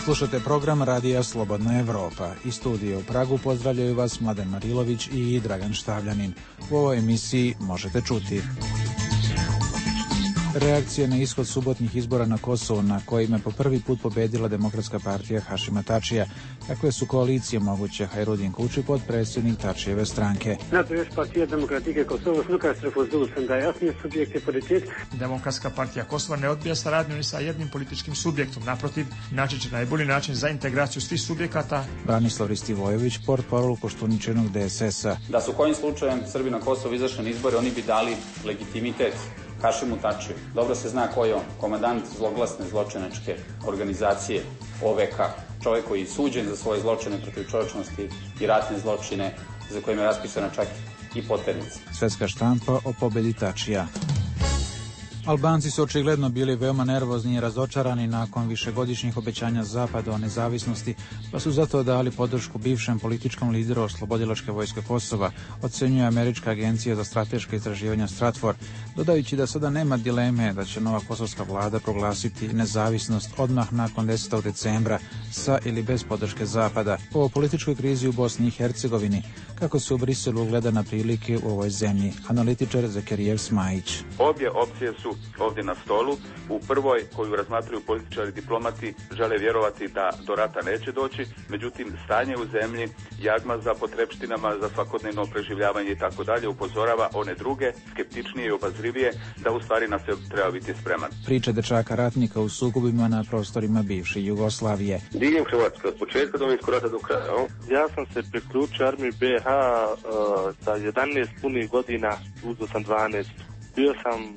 Slušate program Radija Slobodna Evropa. Iz studija u Pragu pozdravljaju vas Mladen Marilović i Dragan Štavljanin. U ovoj emisiji možete čuti reakcije na ishod subotnjih izbora na Kosovu, na kojima je po prvi put pobedila Demokratska partija Hašima Tačija. Kakve su koalicije moguće? Hajrudin Kuči, potpredsjednik Tačijeve stranke. Naprimer, partija Demokratike Kosova sluka da jasni subjekti politik. Demokratska partija Kosova ne odbija saradnju ni sa jednim političkim subjektom. Naprotiv, naći će najbolji način za integraciju svih subjekata. Branislav Ristivojević, portparol Koštuničenog DSS-a. Da su kojim slučajem Srbi na Kosovo izašli na izbore, oni bi dali legitimitet Hašimu Tačiju. Dobro se zna ko je on, komandant zloglasne zločinačke organizacije OVK, čovjek koji je suđen za svoje zločine protiv čovječnosti i ratne zločine, za kojima je raspisana čak i poternica. Svetska štampa o pobedi Tačija. Albanci su očigledno bili veoma nervozni i razočarani nakon višegodišnjih obećanja Zapada o nezavisnosti, pa su zato dali podršku bivšem političkom lideru Oslobodilačke vojske Kosova, ocenjuje Američka agencija za strateška istraživanja Stratfor, dodajući da sada nema dileme da će nova kosovska vlada proglasiti nezavisnost odmah nakon 10. decembra sa ili bez podrške Zapada. O političkoj krizi u Bosni i Hercegovini, kako se u Briselu gleda na prilike u ovoj zemlji, analitičar Zekerijev Smajić. Obje opcije su ovdje na stolu. U prvoj, koju razmatraju političari i diplomati, žele vjerovati da do rata neće doći, međutim stanje u zemlji, jagma za potrepštinama, za svakodnevno preživljavanje i tako dalje, upozorava one druge, skeptičnije i obazrivije, da u stvari na sve treba biti spreman. Priča dečaka ratnika u sukobima na prostorima bivše Jugoslavije. Diljem Hrvatske, od početka Domovinskog rata do kraja. Ja sam se priključio armiji BiH sa 11 punih godina, uzeo sam 12. Bio sam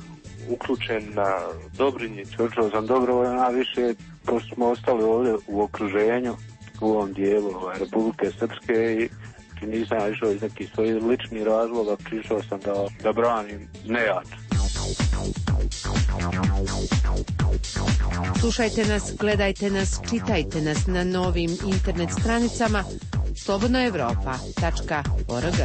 uključen na Dobrinji. Učeo sam dobrovoljno, a više pošto smo ostali ovdje u okruženju, u ovom dijelu Republike Srpske i nisam išao iz nekih svojih ličnih razloga, prišao sam da branim nejač. Slušajte nas, gledajte nas, čitajte nas na novim internet stranicama slobodnoevropa.org.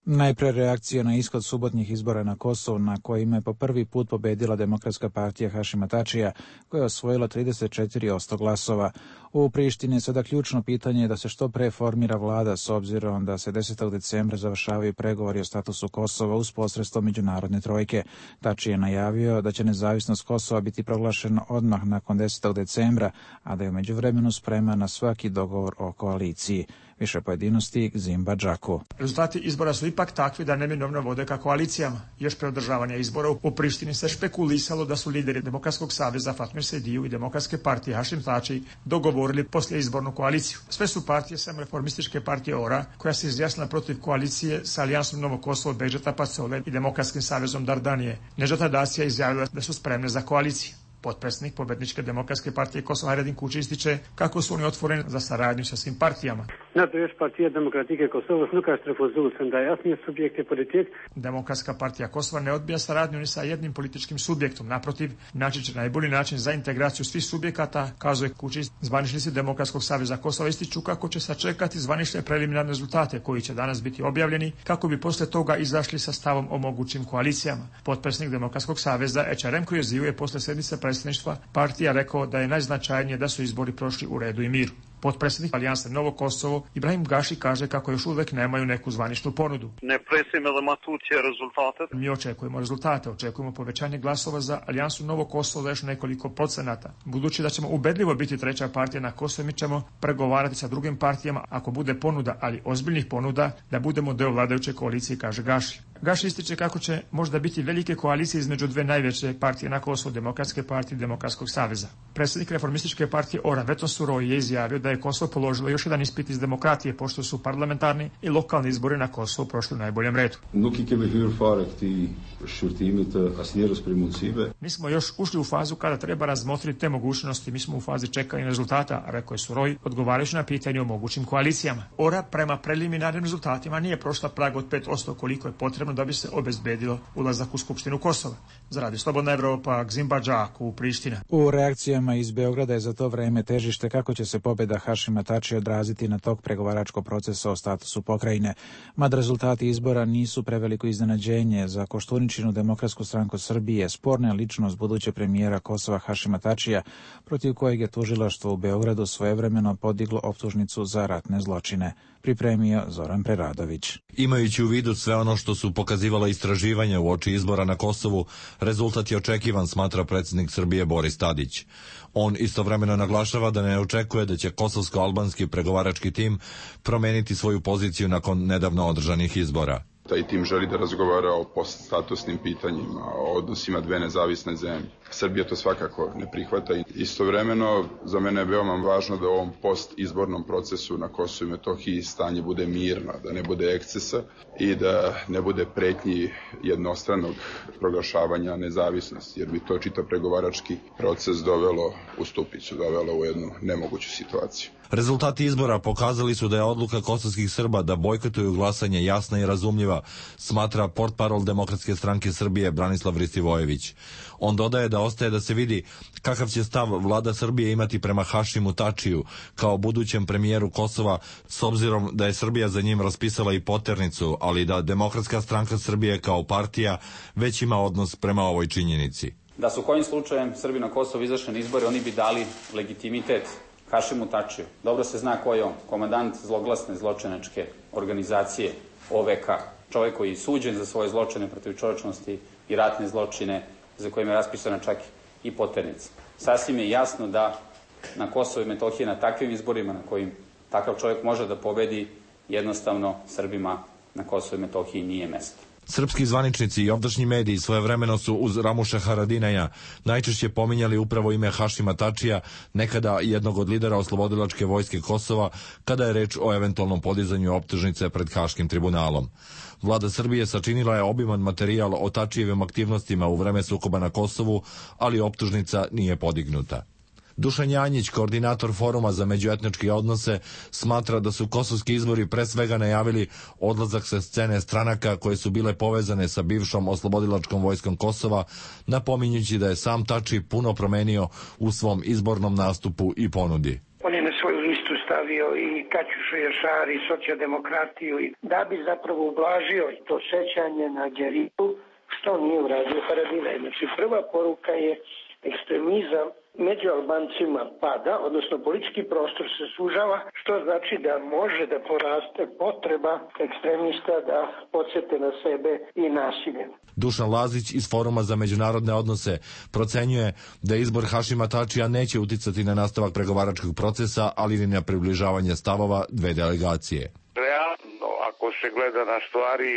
Najpre reakcija na ishod subotnjih izbora na Kosovu, na kojima je po prvi put pobedila Demokratska partija Hašima Tačija, koja je osvojila 34% glasova. U Prištini je sada ključno pitanje da se što pre formira vlada, s obzirom da se 10. decembra završavaju pregovori o statusu Kosova uz posredstvo međunarodne trojke. Tačij je najavio da će nezavisnost Kosova biti proglašena odmah nakon 10. decembra, a da je u međuvremenu spreman na svaki dogovor o koaliciji. Više pojedinosti Zimba Džaku. Rezultati izbora su ipak takvi da neminovno vode ka koalicijama. Još pre održavanja izbora u Prištini se špekulisalo da su lideri Demokratskog saveza Fatmir Sejdiju i Demokratske partije Hašim Tačij dogovorili poslije izbornu koaliciju. Sve su partije sem reformističke partije ORA, koja se izjasnila protiv koalicije sa Alijansom Novo Kosovo Bedžeta Pacole i Demokratskim savezom Dardanije. Nežata Dasija izjavila da su spremne za koaliciju. Potpredsjednik pobjedničke Demokratske partije Kosova Hajrudin Kuči ističe kako su oni otvoreni za saradnju sa svim partijama. Naprimer, partija Demokratike Kosova sluka da jasni subjekti politik. Demokratska partija Kosova ne odbija saradnju ni sa jednim političkim subjektom. Naprotiv, naći će najbolji način za integraciju svih subjekata, kazuje Kuči. Zvaničnici Demokratskog saveza Kosova ističu kako će sačekati zvanične preliminarne rezultate koji će danas biti objavljeni, kako bi posle toga izašli sa stavom o mogućim koalicijama. Potpredsjednik Demokratskog saveza Ečarem Kujeziju je posle sednice predsjedništva partija rekao da je najznačajnije da su izbori prošli u redu i miru. Potpredsjednik Alijanse Novo Kosovo Ibrahim Gaši kaže kako još uvek nemaju neku zvaničnu ponudu. Mi očekujemo rezultate, očekujemo povećanje glasova za Alijansu Novo Kosovo za još nekoliko procenata. Budući da ćemo ubedljivo biti treća partija na Kosovu, mi ćemo pregovarati sa drugim partijama ako bude ponuda, ali ozbiljnih ponuda, da budemo deo vladajuće koalicije, kaže Gaši. Gaši ističe kako će možda biti velike koalicije između dve najveće partije na Kosovu, Demokratske partije i Demokratskog saveza. Predsjednik reformističke partije ORA Veton Suroi je izjavio da je Kosovo položilo još jedan ispit iz demokratije, pošto su parlamentarni i lokalni izbori na Kosovu prošli u najboljem redu. Mi smo još ušli u fazu kada treba razmotriti te mogućnosti, mi smo u fazi čekanja rezultata, rekao je Suroi, odgovarajući na pitanje o mogućim koalicijama. ORA prema preliminarnim rezultatima nije prošla prag od 5% koliko je potrebno potrebno da bi se obezbedilo ulazak u Skupštinu Kosova. Za Radio Slobodna Evropa, Gzimba Džaku, Priština. U reakcijama iz Beograda je za to vreme težište kako će se pobjeda Hašima Tačija odraziti na tok pregovaračkog procesa o statusu pokrajine. Mada rezultati izbora nisu preveliko iznenađenje za Koštuničinu Demokratsku stranku Srbije, sporna je ličnost buduće premijera Kosova Hašima Tačija, protiv kojeg je tužilaštvo u Beogradu svojevremeno podiglo optužnicu za ratne zločine. Pripremio Zoran Preradović. Imajući u vidu sve ono što su pokazivala istraživanja uoči izbora na Kosovu, rezultat je očekivan, smatra predsjednik Srbije Boris Tadić. On istovremeno naglašava da ne očekuje da će kosovsko-albanski pregovarački tim promeniti svoju poziciju nakon nedavno održanih izbora. Taj tim želi da razgovara o poststatusnim pitanjima, o odnosima dve nezavisne zemlje. Srbija to svakako ne prihvata. Istovremeno, za mene je veoma važno da u ovom postizbornom procesu na Kosovu i Metohiji stanje bude mirno, da ne bude ekscesa i da ne bude pretnji jednostranog proglašavanja nezavisnosti, jer bi to čitav pregovarački proces dovelo u stupicu, dovelo u jednu nemoguću situaciju. Rezultati izbora pokazali su da je odluka kosovskih Srba da bojkotuju glasanje jasna i razumljiva, smatra portparol Demokratske stranke Srbije Branislav Ristivojević. On dodaje da ostaje da se vidi kakav će stav vlada Srbije imati prema Hašimu Tačiju kao budućem premijeru Kosova, s obzirom da je Srbija za njim raspisala i poternicu, ali da Demokratska stranka Srbije kao partija već ima odnos prema ovoj činjenici. Da su kojim slučajem Srbi na Kosovo izašli na izbore, oni bi dali legitimitet Hašimu Tačiju. Dobro se zna ko je on, komandant zloglasne zločinačke organizacije OVK, čovjek koji je suđen za svoje zločine protiv čovječnosti i ratne zločine, za kojima je raspisana čak i poternica. Sasvim je jasno da na Kosovo i Metohiji na takvim izborima na kojim takav čovjek može da pobedi, jednostavno Srbima na Kosovo i Metohiji nije mesto. Srpski zvaničnici i ovdašnji mediji svojevremeno su uz Ramuša Haradinaja najčešće pominjali upravo ime Hašima Tačija, nekada jednog od lidera oslobodilačke vojske Kosova, kada je reč o eventualnom podizanju optužnice pred Haškim tribunalom. Vlada Srbije sačinila je obiman materijal o Tačijevim aktivnostima u vreme sukoba na Kosovu, ali optužnica nije podignuta. Dušan Janjić, koordinator Foruma za međuetničke odnose, smatra da su kosovski izbori pre svega najavili odlazak sa scene stranaka koje su bile povezane sa bivšom oslobodilačkom vojskom Kosova, napominjući da je sam Tači puno promenio u svom izbornom nastupu i ponudi. On je na svoju listu stavio i Kaćušu Jašari i socijaldemokratiju da bi zapravo ublažio i to sećanje na Đeritu, što nije uradio Haradinaj. Znači prva poruka je ekstremizam među Albancima pada, odnosno politički prostor se sužava, što znači da može da poraste potreba ekstremista da podsjete na sebe i nasilje. Dušan Lazić iz Foruma za međunarodne odnose procenjuje da izbor Hašima Tačija neće uticati na nastavak pregovaračkog procesa, ali ni na približavanje stavova dve delegacije. Realno, ako se gleda na stvari,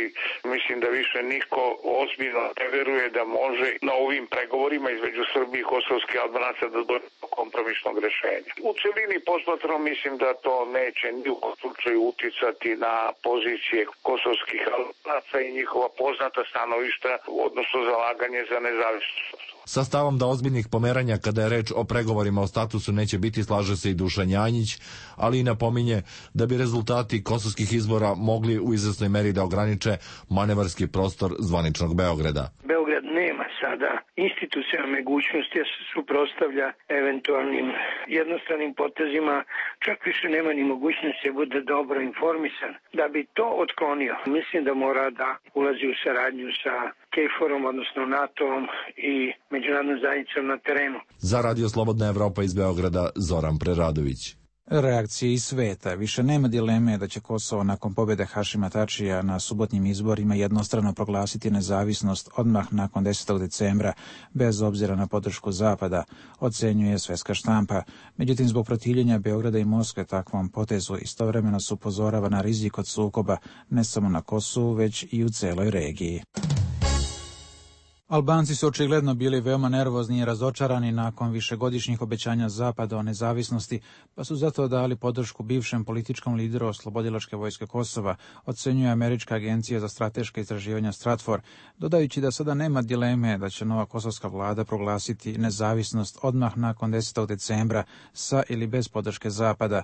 mislim da više niko ozbiljno ne veruje da može na ovim pregovorima između Srbije i kosovskih Albanaca da dođe do kompromisnog rešenja. U celini posmatrano mislim da to neće ni u slučaju uticati na pozicije kosovskih Albanaca i njihova poznata stanovišta, odnosno zalaganje za nezavisnost. Sa stavom da ozbiljnih pomeranja kada je reč o pregovorima o statusu neće biti, slaže se i Dušan Janjić, ali i napominje da bi rezultati kosovskih izbora mogli u izvesnoj meri da ograniče manevarski prostor zvaničnog Beograda. Beograd nema sada institucionalne mogućnosti da se suprotstavlja eventualnim jednostranim potezima, čak više nema ni mogućnosti da bude dobro informisan. Da bi to otklonio, mislim da mora da ulazi u saradnju sa KFOR-om, odnosno NATO-om i međunarodnom zajednicom na terenu. Za Radio Slobodna Evropa iz Beograda, Zoran Preradović. Reakcije iz sveta. Više nema dileme da će Kosovo nakon pobjede Hašima Tačija na subotnjim izborima jednostrano proglasiti nezavisnost odmah nakon 10. decembra, bez obzira na podršku Zapada, ocenjuje svetska štampa. Međutim, zbog protivljenja Beograda i Moskve takvom potezu istovremeno se upozorava na rizik od sukoba ne samo na Kosovu, već i u celoj regiji. Albanci su očigledno bili veoma nervozni i razočarani nakon višegodišnjih obećanja Zapada o nezavisnosti, pa su zato dali podršku bivšem političkom lideru oslobodilačke vojske Kosova, ocenjuje Američka agencija za strateška istraživanja Stratfor, dodajući da sada nema dileme da će nova kosovska vlada proglasiti nezavisnost odmah nakon 10. decembra sa ili bez podrške Zapada.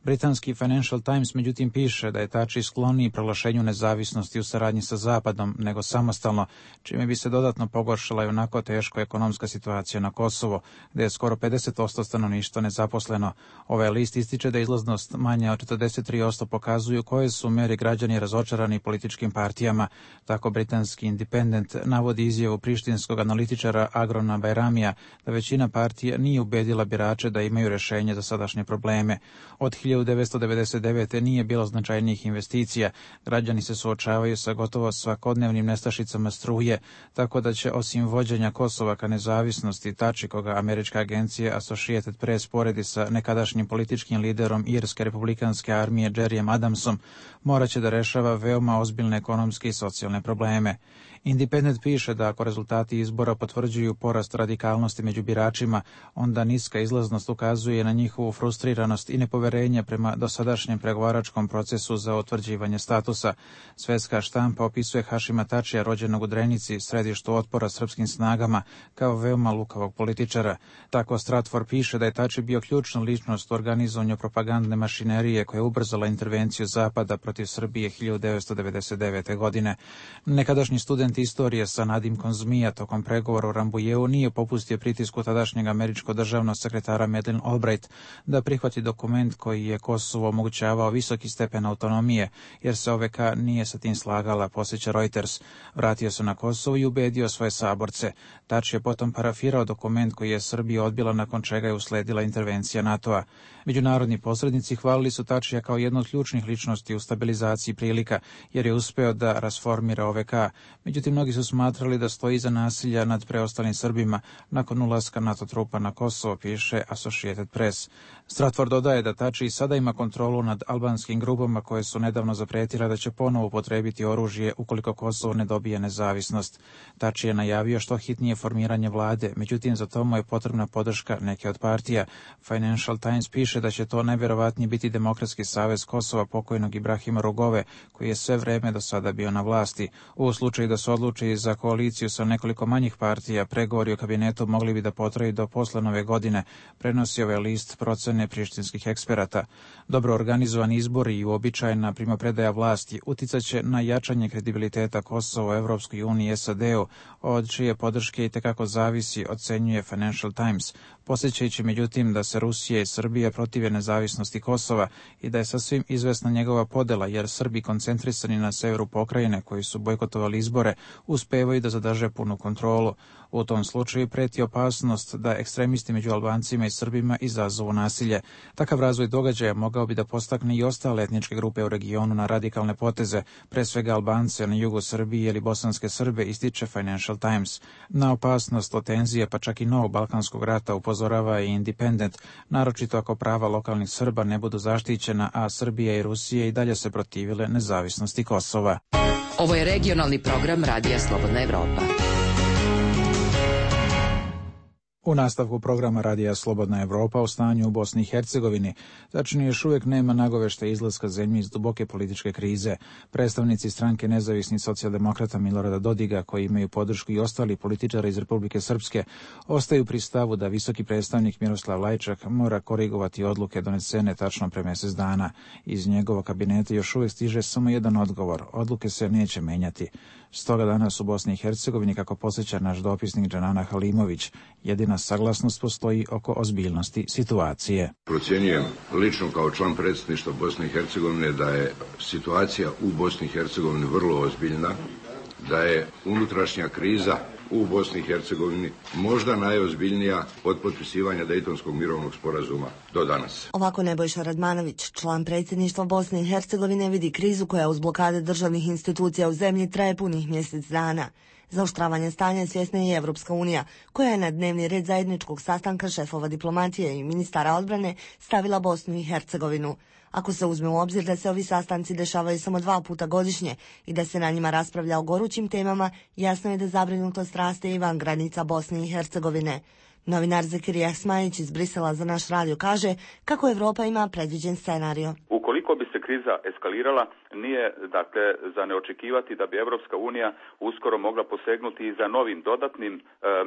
Britanski Financial Times međutim piše da je Tači skloniji proglašenju nezavisnosti u saradnji sa Zapadom nego samostalno, čime bi se dodatno pogoršala i onako teško ekonomska situacija na Kosovo, gdje je skoro 50% stanovništva nezaposleno. Ovaj list ističe da izlaznost manja od 43% pokazuju koje su meri građani razočarani političkim partijama. Tako britanski Independent navodi izjavu prištinskog analitičara Agrona Bajramija da većina partija nije ubedila birače da imaju rješenje za sadašnje probleme. Od 1999. nije bilo značajnijih investicija. Građani se suočavaju sa gotovo svakodnevnim nestašicama struje, tako da će osim vođenja Kosova ka nezavisnosti Tači, koga američka agencija Associated Press poredi sa nekadašnjim političkim liderom Irske republikanske armije Jerryem Adamsom, morat će da rešava veoma ozbiljne ekonomske i socijalne probleme. Independent piše da ako rezultati izbora potvrđuju porast radikalnosti među biračima, onda niska izlaznost ukazuje na njihovu frustriranost i nepoverenje prema dosadašnjem pregovaračkom procesu za utvrđivanje statusa. Svetska štampa opisuje Hašima Tačija, rođenog u Drenici, središtu otpora srpskim snagama, kao veoma lukavog političara. Tako Stratfor piše da je Tači bio ključna ličnost u organizovanju propagandne mašinerije koja je ubrzala intervenciju Zapada protiv Srbije 1999. godine. Nekadašnji student istorije sa nadimkom zmija tokom pregovora u Rambujeu nije popustio pritisku tadašnjeg američko-državnog sekretara Madeleine Albright da prihvati dokument koji je Kosovo omogućavao visoki stepen autonomije, jer se OVK nije sa tim slagala, posjeća Reuters. Vratio se na Kosovo i ubedio svoje saborce. Tači je potom parafirao dokument koji je Srbija odbila, nakon čega je usledila intervencija NATO-a. Međunarodni posrednici hvalili su Tačija kao jednu od ključnih ličnosti u stabilizaciji prilika, jer je uspeo da rasformira OVK. Međutim, mnogi su smatrali da stoji iza nasilja nad preostalim Srbima nakon ulaska NATO trupa na Kosovo, piše Associated Press. Stratfor dodaje da Tači sada ima kontrolu nad albanskim grupama koje su nedavno zapretile da će ponovo upotrebiti oružje ukoliko Kosovo ne dobije nezavisnost. Tači je najavio što hitnije formiranje vlade, međutim za to mu je potrebna podrška neke od partija. Financial Times piše da će to najvjerovatnije biti Demokratski savez Kosova pokojnog Ibrahima Rugove, koji je sve vreme do sada bio na vlasti. U slučaju da se odluči za koaliciju sa nekoliko manjih partija, pregovori o kabinetu mogli bi da potraju do posle Nove godine, prenosi ovaj list procene prištinskih eksperata. Dobro organizovani izbori i uobičajena primopredaja vlasti uticaće na jačanje kredibiliteta Kosova u Evropskoj uniji i SAD-u, od čije podrške itekako zavisi, ocenjuje Financial Times, posjećajući međutim da se Rusija i Srbija protive nezavisnosti Kosova i da je sasvim izvesna njegova podela, jer Srbi koncentrisani na severu pokrajine koji su bojkotovali izbore uspevaju da zadrže punu kontrolu. U tom slučaju preti opasnost da ekstremisti među Albancima i Srbima izazovu nasilje. Takav razvoj događaja mogao bi da postakne i ostale etničke grupe u regionu na radikalne poteze, pre svega Albance na jugu Srbije ili bosanske Srbe, ističe Financial Times. Na opasnost od tenzije, pa čak i novog balkanskog rata, upozorava i Independent, naročito ako prava lokalnih Srba ne budu zaštićena, a Srbija i Rusija i dalje se protivile nezavisnosti Kosova. Ovo je regionalni program Radija Slobodna Evropa. U nastavku programa Radija Slobodna Evropa o stanju u Bosni i Hercegovini, tačnije još uvijek nema nagovešta izlaska zemlje iz duboke političke krize. Predstavnici stranke Nezavisnih socijaldemokrata Milorada Dodiga, koji imaju podršku i ostali političari iz Republike Srpske, ostaju pri stavu da visoki predstavnik Miroslav Lajčak mora korigovati odluke donesene tačno pre mjesec dana. Iz njegovog kabineta još uvijek stiže samo jedan odgovor: odluke se neće menjati. Stoga danas u Bosni i Hercegovini, kako podsjeća naš dopisnik Džanana Halimović, jedina saglasnost postoji oko ozbiljnosti situacije. Procjenjujem lično kao član predsjedništva Bosne i Hercegovine da je situacija u Bosni i Hercegovini vrlo ozbiljna, da je unutrašnja kriza u Bosni i Hercegovini možda najozbiljnija od potpisivanja Dejtonskog mirovnog sporazuma do danas. Ovako Nebojša Radmanović, član predsjedništva Bosne i Hercegovine, vidi krizu koja uz blokade državnih institucija u zemlji traje punih mjesec dana. Zaoštravanje stanja svjesna je i Evropska unija, koja je na dnevni red zajedničkog sastanka šefova diplomatije i ministara odbrane stavila Bosnu i Hercegovinu. Ako se uzme u obzir da se ovi sastanci dešavaju samo 2 puta godišnje i da se na njima raspravlja o gorućim temama, jasno je da zabrinutost raste i van granica Bosne i Hercegovine. Novinar Zekirija Smajić iz Brisela za naš radio kaže kako Evropa ima predviđen scenario. Ukoliko bi se kriza eskalirala, nije dakle za neočekivati da bi Europska unija uskoro mogla posegnuti i za novim dodatnim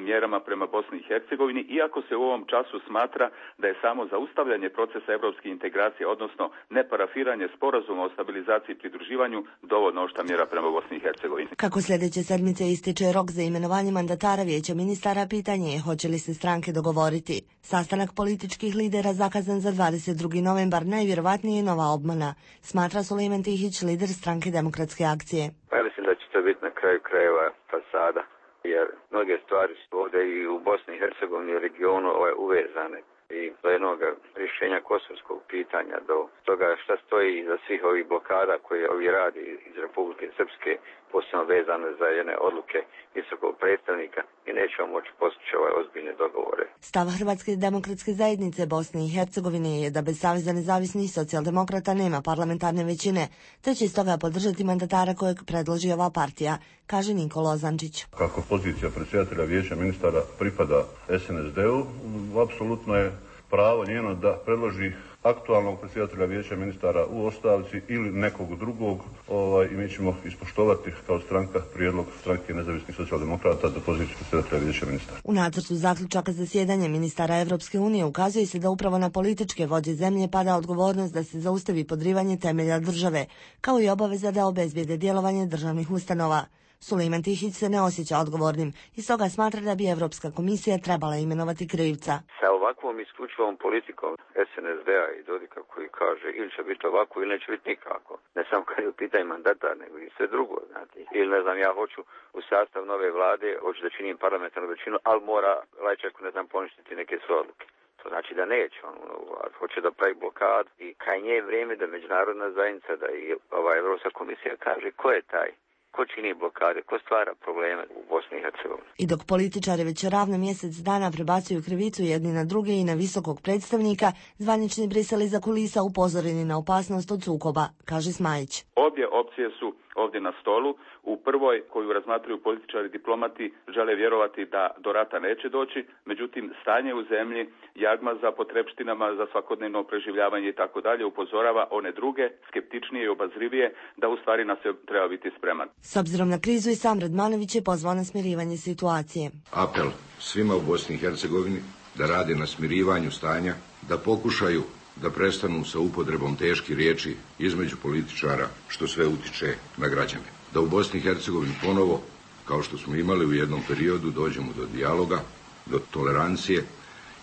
mjerama prema Bosni i Hercegovini, iako se u ovom času smatra da je samo zaustavljanje procesa europske integracije, odnosno neparafiranje sporazuma o stabilizaciji i pridruživanju dovoljno oštra mjera prema Bosni i Hercegovini. Kako sljedeće sedmice ističe rok za imenovanje mandatara Vijeća ministara, pitanje je hoće li se stranke dogovoriti. Sastanak političkih lidera zakazan za 22. novembar najvjerovatnije je nova obmana, smatra Sulejman Tihić, lider stranke Demokratske akcije. Ja mislim da će to biti na kraju krajeva fasada, jer mnoge stvari su ovdje i u Bosni i Hercegovini i regionu uvezane. I do jednog rješenja kosovskog pitanja, do toga šta stoji iza svih ovih blokada koje ovi radi iz Republike Srpske, posebno vezane za jedne odluke visokog predstavnika, i nećemo moći postići ozbiljne dogovore. Stav Hrvatske demokratske zajednice Bosne i Hercegovine je da bez Saveza nezavisnih socijaldemokrata nema parlamentarne većine, te će stoga podržati mandatara kojeg predloži ova partija, kaže Nikola Ozančić. Kako pozicija predsjedatelja Vijeća ministara pripada SNSD-u, apsolutno je pravo njeno da predloži aktualnog predsjedatelja Vijeća ministara u ostavci ili nekog drugog, i mi ćemo ispoštovati kao stranka prijedlog stranke nezavisnih socijaldemokrata za poziciju predsjedatelja Vijeća ministara. U nacrtu zaključaka zasjedanja ministara Evropske unije ukazuje se da upravo na političke vođe zemlje pada odgovornost da se zaustavi podrivanje temelja države, kao i obaveza da obezbijede djelovanje državnih ustanova. Sulejman Tihić se ne osjeća odgovornim i stoga smatra da bi Europska komisija trebala imenovati krivca. Sa ovakvom isključivom politikom SNSD-a i Dodika koji kaže ili će biti ovako ili neće biti nikako. Ne samo kad je u pitanju mandatar, nego i sve drugo. Znate. Ili ne znam, ja hoću u sastav nove vlade, hoću da činim parlamentarnu većinu, ali mora Lajčeku, ne znam, poništiti neke svoje odluke. To znači da neće, hoće da pravi blokad i krajnje je vrijeme da međunarodna zajednica, da i Europska komisija kaže ko je taj. Ko čini blokade, ko stvara probleme u Bosni i Hercegovini. I dok političari već ravno mjesec dana prebacuju krivicu jedni na druge i na visokog predstavnika, zvanični Brisel iza kulisa upozoreni na opasnost od sukoba, kaže Smajić. Obje opcije su ovdje na stolu. U prvoj, koju razmatraju političari i diplomati, žele vjerovati da do rata neće doći, međutim stanje u zemlji, jagma za potrepštinama, za svakodnevno preživljavanje i tako dalje upozorava one druge, skeptičnije i obazrivije, da u stvari na sve treba biti spreman. S obzirom na krizu i sam Radmanović je pozvao na smirivanje situacije. Apel svima u Bosni i Hercegovini da rade na smirivanju stanja, da pokušaju da prestanu sa upotrebom teških riječi između političara, što sve utiče na građane. Da u Bosni i Hercegovini ponovo, kao što smo imali u jednom periodu, dođemo do dijaloga, do tolerancije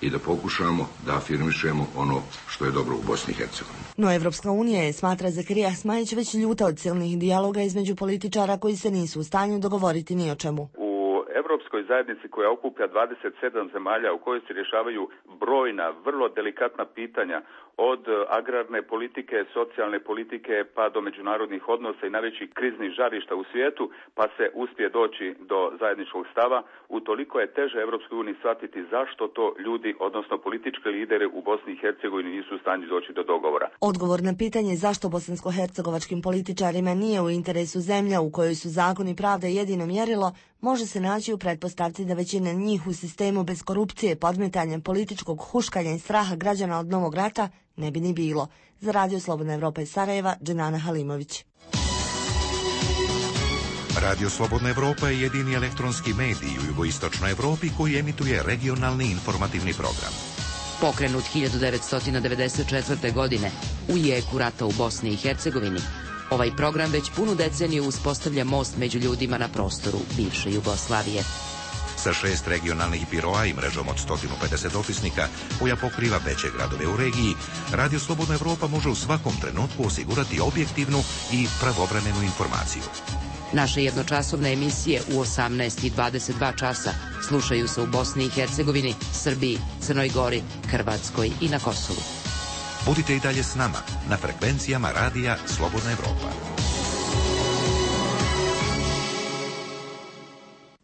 i da pokušamo da afirmišemo ono što je dobro u Bosni i Hercegovini. No Evropska unija je, smatra Zakarija Smajić, već ljuta od silnih dijaloga između političara koji se nisu u stanju dogovoriti ni o čemu. Europskoj zajednici koja okuplja 27 zemalja u kojoj se rješavaju brojna, vrlo delikatna pitanja od agrarne politike, socijalne politike pa do međunarodnih odnosa i najvećih kriznih žarišta u svijetu, pa se uspije doći do zajedničkog stava, utoliko je teže Europskoj uniji shvatiti zašto to ljudi, odnosno politički lideri u Bosni i Hercegovini nisu u stanju doći do dogovora. Odgovor na pitanje zašto bosansko-hercegovačkim političarima nije u interesu zemlja u kojoj su zakon i pravda jedino mjerilo, može se naći u pretpostavci da većina njih u sistemu bez korupcije, podmetanjem političkog huškanja i straha građana od novog rata ne bi ni bilo. Za Radio Slobodna Evropa iz Sarajeva, Dženana Halimović. Radio Slobodna Evropa je jedini elektronski medij u jugoistočnoj Evropi koji emituje regionalni informativni program. Pokrenut 1994. godine u jeku rata u Bosni i Hercegovini, ovaj program već punu deceniju uspostavlja most među ljudima na prostoru bivše Jugoslavije. Sa 6 regionalnih biroa i mrežom od 150 opisnika koja pokriva veće gradove u regiji, Radio Slobodna Evropa može u svakom trenutku osigurati objektivnu i pravovremenu informaciju. Naše jednočasovne emisije u 18 i 22 časa slušaju se u Bosni i Hercegovini, Srbiji, Crnoj Gori, Hrvatskoj i na Kosovu. Budite i dalje s nama na frekvencijama Radija Slobodna Evropa.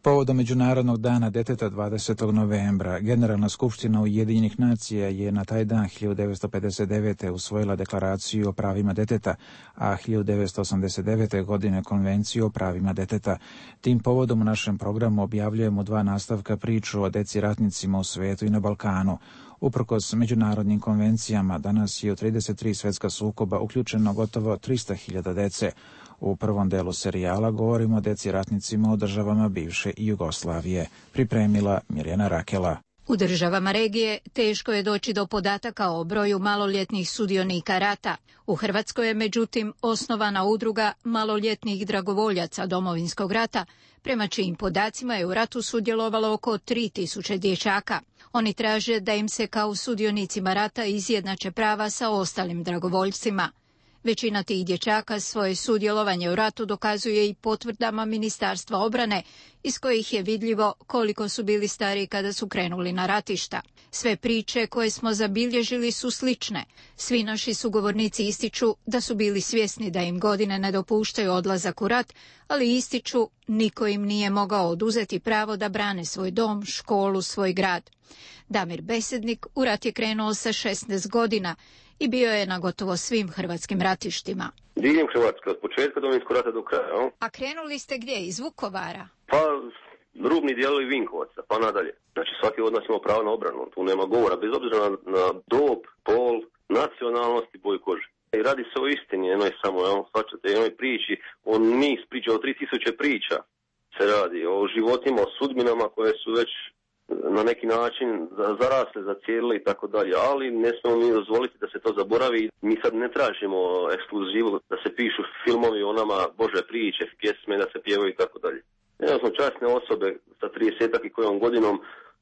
Povodom Međunarodnog dana djeteta 20. novembra, Generalna skupština Ujedinjenih nacija je na taj dan 1959. usvojila deklaraciju o pravima djeteta, a 1989. godine konvenciju o pravima djeteta. Tim povodom u našem programu objavljujemo 2 nastavka priču o deci ratnicima u svijetu i na Balkanu. Uprkos međunarodnim konvencijama, danas je u 33 svjetska sukoba uključeno gotovo 300.000 dece. U prvom delu serijala govorimo o deci ratnicima u državama bivše Jugoslavije. Pripremila Mirjana Rakela. U državama regije teško je doći do podataka o broju maloljetnih sudionika rata. U Hrvatskoj je međutim osnovana udruga maloljetnih dragovoljaca Domovinskog rata, prema čijim podacima je u ratu sudjelovalo oko 3.000 dječaka. Oni traže da im se kao sudionicima rata izjednače prava sa ostalim dragovoljcima. Većina tih dječaka svoje sudjelovanje u ratu dokazuje i potvrdama Ministarstva obrane, iz kojih je vidljivo koliko su bili stari kada su krenuli na ratišta. Sve priče koje smo zabilježili su slične. Svi naši sugovornici ističu da su bili svjesni da im godine ne dopuštaju odlazak u rat, ali ističu niko im nije mogao oduzeti pravo da brane svoj dom, školu, svoj grad. Damir Besednik u rat je krenuo sa 16 godina i bio je na gotovo svim hrvatskim ratištima. Diljem Hrvatske, od početka Domovinskog rata do kraja. A krenuli ste gdje? Iz Vukovara? Pa, rubni dijelovi Vinkovaca, pa nadalje. Znači, svaki od nas ima pravo na obranu, tu nema govora, bez obzira na dob, pol, nacionalnost i boju kože. I radi se o istini, jednoj samo, svačate, jednoj priči, o niz priča, o 3000 priča se radi, o životima, o sudbinama koje su već na neki način zarasle, zacijelile i tako dalje, ali ne smemo mi dozvoliti da se to zaboravi. Mi sad ne tražimo ekskluzivu da se pišu filmovi o nama, Bože priče, pjesme, da se pjevaju i tako dalje. Ja smo časne osobe sa 30-ak i kojom godinom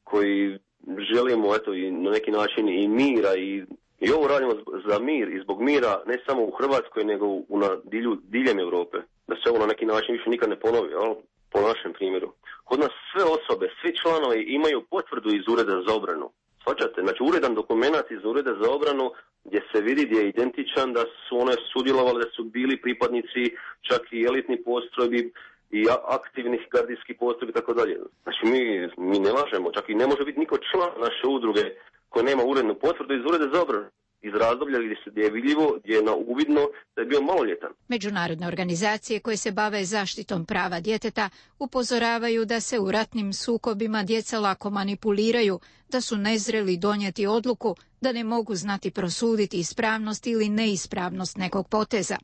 koji želimo eto i na neki način i mira i ovo radimo za mir i zbog mira ne samo u Hrvatskoj nego diljem Europe. Da se ovo na neki način više nikad ne ponovi, ali po našem primjeru. Kod nas sve osobe, svi članovi imaju potvrdu iz Ureda za obranu. Shvaćate? Znači uredan dokumenat iz Ureda za obranu gdje se vidi, gdje je identičan da su one sudjelovali, da su bili pripadnici čak i elitnih postrojbi i aktivnih gardijskih postrojbi i tako dalje. Znači mi ne lažemo, čak i ne može biti niko član naše udruge koji nema urednu potvrdu iz Ureda za obranu. Iz razdoblja gdje je vidljivo, gdje je na uvidno da je bio maloljetan. Međunarodne organizacije koje se bave zaštitom prava djeteta upozoravaju da se u ratnim sukobima djeca lako manipuliraju, da su nezreli donijeti odluku, da ne mogu znati prosuditi ispravnost ili neispravnost nekog poteza.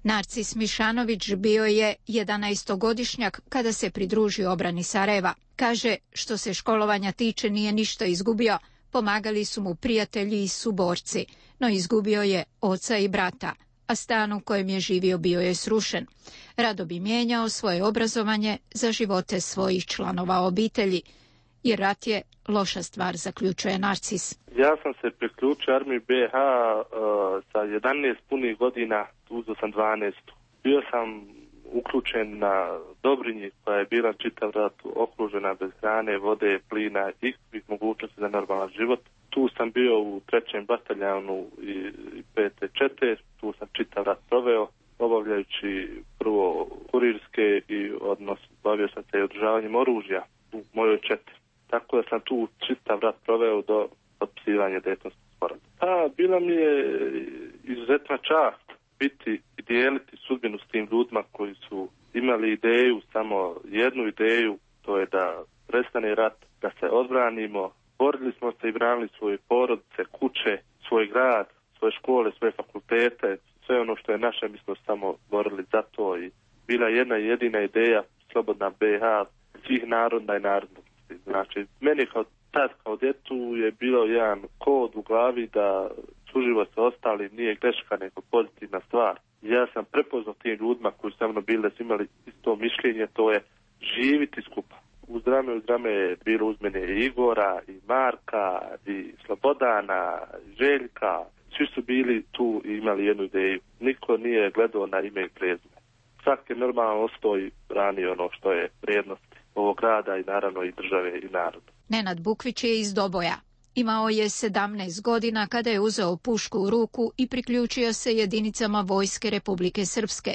Narcis Mišanović bio je 11-godišnjak kada se pridružio obrani Sarajeva. Kaže, što se školovanja tiče nije ništa izgubio, pomagali su mu prijatelji i suborci, no izgubio je oca i brata, a stan u kojem je živio bio je srušen. Rado bi mijenjao svoje obrazovanje za živote svojih članova obitelji, jer rat je loša stvar, zaključuje Narcis. Ja sam se priključio armiji BiH sa 11 punih godina, uzeo sam 12. Bio sam uključen na Dobrinji koja je bila čitav rat okružena bez hrane, vode, plina i svih mogućnosti za normalan život. Tu sam bio u 3. bataljanu i 5. čete, tu sam čitav rat proveo, obavljajući prvo kurirske i bavio sam se i održavanjem oružja u mojoj četi. Tako da sam tu čitav rat proveo do potpisivanja Dejtonskog sporazuma. Pa bila mi je izuzetna čast biti i dijeliti sudbinu s tim ljudima koji su imali ideju, samo jednu ideju, to je da prestane rat, da se odbranimo. Borili smo se i branili svoje porodice, kuće, svoj grad, svoje škole, svoje fakultete, sve ono što je naše, mi smo samo borili za to i bila jedna jedina ideja, slobodna BiH, svih naroda i narodnosti. Znači, meni kao djetu je bilo jedan kod u glavi da suživot sa ostalim nije greška nego pozitivna stvar. Ja sam prepoznao tim ljudima koji su sa mnom bili da su imali isto mišljenje, to je živiti skupa. Uz rame je bilo uz mene i Igora, i Marka, i Slobodana, i Željka. Svi su bili tu i imali jednu ideju. Niko nije gledao na ime i prezime. Svaki je normalno ostao i branio ono što je vrijednost ovog grada i naravno i države i naroda. Nenad Bukvić je iz Doboja. Imao je 17 godina kada je uzeo pušku u ruku i priključio se jedinicama Vojske Republike Srpske.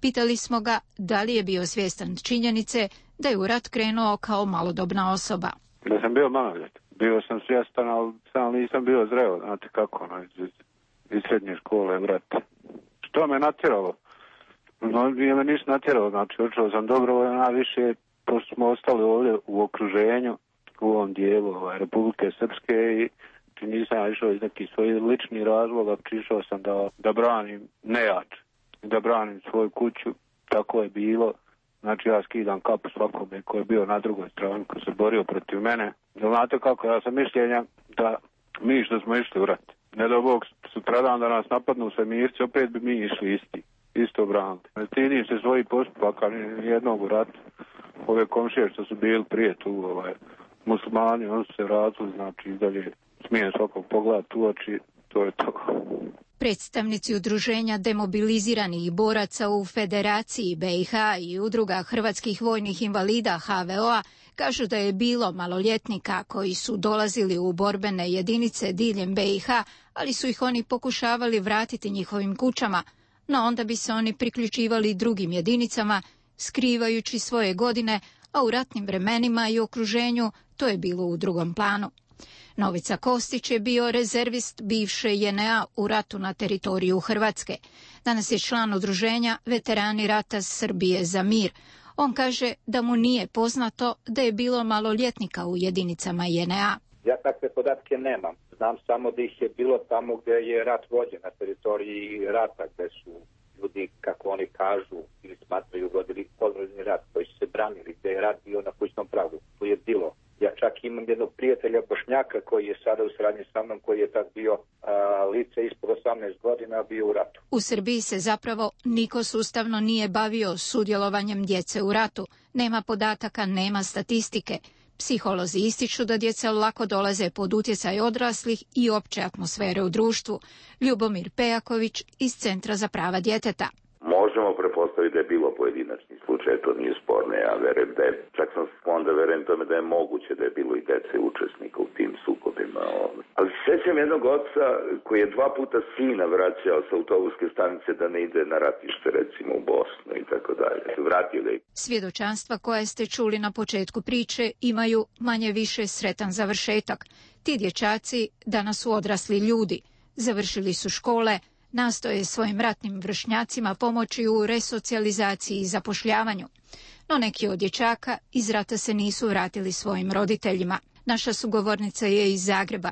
Pitali smo ga da li je bio svjestan činjenice da je u rat krenuo kao malodobna osoba. Da sam bio maloljetan. Bio sam svjestan, ali sam nisam bio zreo, znate kako, iz srednje škole u rat. Što me natjeralo? No, me ništa natjeralo, znači učio sam dobrovoljno, najviše, pošto smo ostali ovdje u okruženju, u ovom dijelu Republike Srpske i nisam išao iz nekih svojih ličnih razloga, prišao sam da branim nejač, da branim svoju kuću, tako je bilo. Znači ja skidam kapu svakome koji je bio na drugoj strani, koji se borio protiv mene. Znate kako, ja sam mišljenja da mi što smo išli u rat, ne do Bog sutradan da nas napadnu svemirci, opet bi mi išli isto braniti. Ne stidim se svojih postupaka ni jednog u ratu. Ove komšije što su bili prije tu, muslimani, oni su se razli, znači dalje smijem svakog pogledati u oči, to je to. Predstavnici udruženja demobiliziranih boraca u Federaciji BiH i udruga hrvatskih vojnih invalida HVO-a kažu da je bilo maloljetnika koji su dolazili u borbene jedinice diljem BiH, ali su ih oni pokušavali vratiti njihovim kućama, no onda bi se oni priključivali drugim jedinicama, skrivajući svoje godine, a u ratnim vremenima i okruženju to je bilo u drugom planu. Novica Kostić je bio rezervist bivše JNA u ratu na teritoriju Hrvatske. Danas je član udruženja Veterani rata Srbije za mir. On kaže da mu nije poznato da je bilo maloljetnika u jedinicama JNA. Ja takve podatke nemam. Znam samo da ih je bilo tamo gdje je rat vođen, na teritoriji rata, gdje su ljudi, kako oni kažu ili smatraju, vodili podvožni rat, koji su se branili, gdje je rat bio na kućnom pragu. Tu je bilo. Ja čak imam jednog prijatelja Bošnjaka koji je sada u saradnji sa mnom, koji je tad bio lice ispod 18 godina, bio u ratu. U Srbiji se zapravo niko sustavno nije bavio sudjelovanjem djece u ratu. Nema podataka, nema statistike. Psiholozi ističu da djeca lako dolaze pod utjecaj odraslih i opće atmosfere u društvu. Ljubomir Pejaković iz Centra za prava djeteta. Možemo prepostaviti da je bilo pojedinačni slučaj, to nije sporno, ja verujem da je, čak sam onda verujem tome da je moguće da je bilo i dece učesnika u tim sukobima. Ali sjećam jednog oca koji je 2 puta sina vraćao sa autobuske stanice da ne ide na ratište, recimo u Bosnu i tako dalje. Vratio da je. Svjedočanstva koje ste čuli na početku priče imaju manje više sretan završetak. Ti dječaci danas su odrasli ljudi, završili su škole, nastoje svojim ratnim vršnjacima pomoći u resocijalizaciji i zapošljavanju. No neki od dječaka iz rata se nisu vratili svojim roditeljima. Naša sugovornica je iz Zagreba.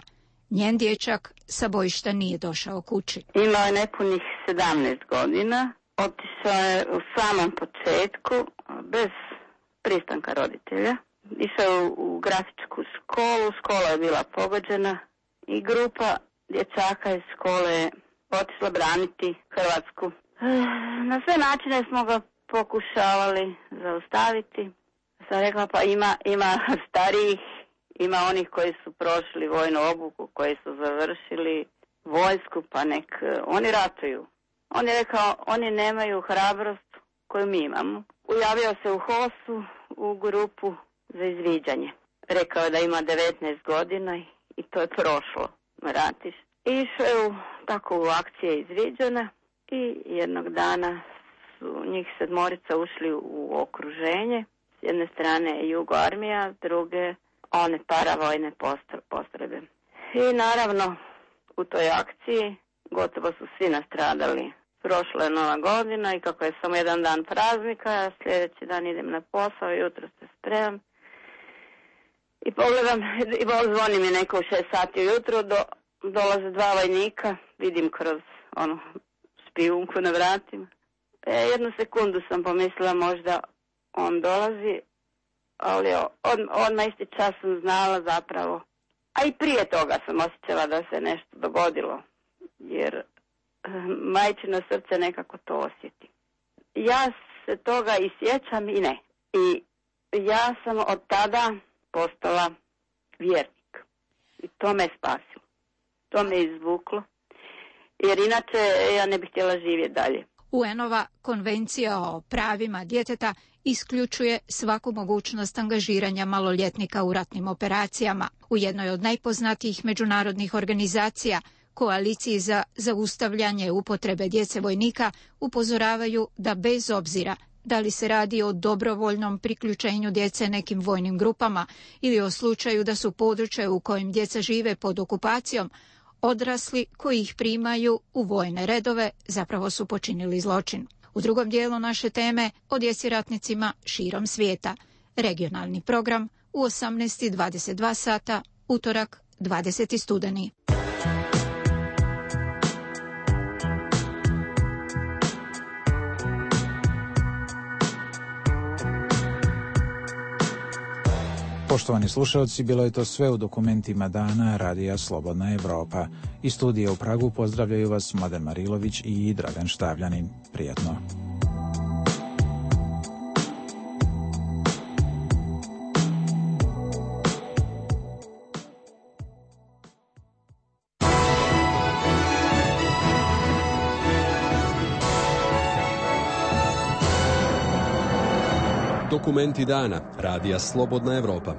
Njen dječak sa bojišta nije došao kući. Imao je nepunih 17 godina. Otišao je u samom početku bez pristanka roditelja. Išao je u grafičku školu, škola je bila pogođena i grupa dječaka iz škole je otišla braniti Hrvatsku. Na sve načine smo ga pokušavali zaustaviti. Sam rekla pa ima starijih, ima onih koji su prošli vojnu obuku, koji su završili vojsku, pa nek oni ratuju. On je rekao, oni nemaju hrabrost koju mi imamo. Ujavio se u HOS-u u grupu za izviđanje. Rekao je da ima 19 godina i to je prošlo, ratiš. Išao je tako u akcije izviđene i jednog dana su njih 7 ušli u okruženje. S jedne strane Jugo armija, s druge one paravojne postrojbe. I naravno u toj akciji gotovo su svi nastradali. Prošla je Nova godina i kako je samo jedan dan praznika, ja sljedeći dan idem na posao, jutro se spremam. I pogledam, i zvoni mi neko u 6 sati ujutro, dolaze 2 vojnika, vidim kroz špijunku na vratima. Jednu sekundu sam pomislila možda on dolazi, ali odmah isti čas sam znala zapravo. A i prije toga sam osjećala da se nešto dogodilo, jer majčino srce nekako to osjeti. Ja se toga i sjećam i ne. I ja sam od tada postala vjernik. I to me spasilo. To me izvuklo. Jer inače ja ne bih htjela živjeti dalje. UN-ova konvencija o pravima djeteta isključuje svaku mogućnost angažiranja maloljetnika u ratnim operacijama. U jednoj od najpoznatijih međunarodnih organizacija, Koaliciji za zaustavljanje upotrebe djece vojnika, upozoravaju da bez obzira da li se radi o dobrovoljnom priključenju djece nekim vojnim grupama ili o slučaju da su područje u kojem djeca žive pod okupacijom, odrasli koji ih primaju u vojne redove zapravo su počinili zločin. U drugom dijelu naše teme o djeci ratnicima širom svijeta. Regionalni program u 18:22 sata, utorak 20. studeni. Poštovani slušalci, bilo je to sve u dokumentima dana Radija Slobodna Evropa. Iz studija u Pragu pozdravljaju vas Mladen Marilović i Dragan Štavljanin. Prijatno. Dokumenti dana Radija Slobodna Evropa.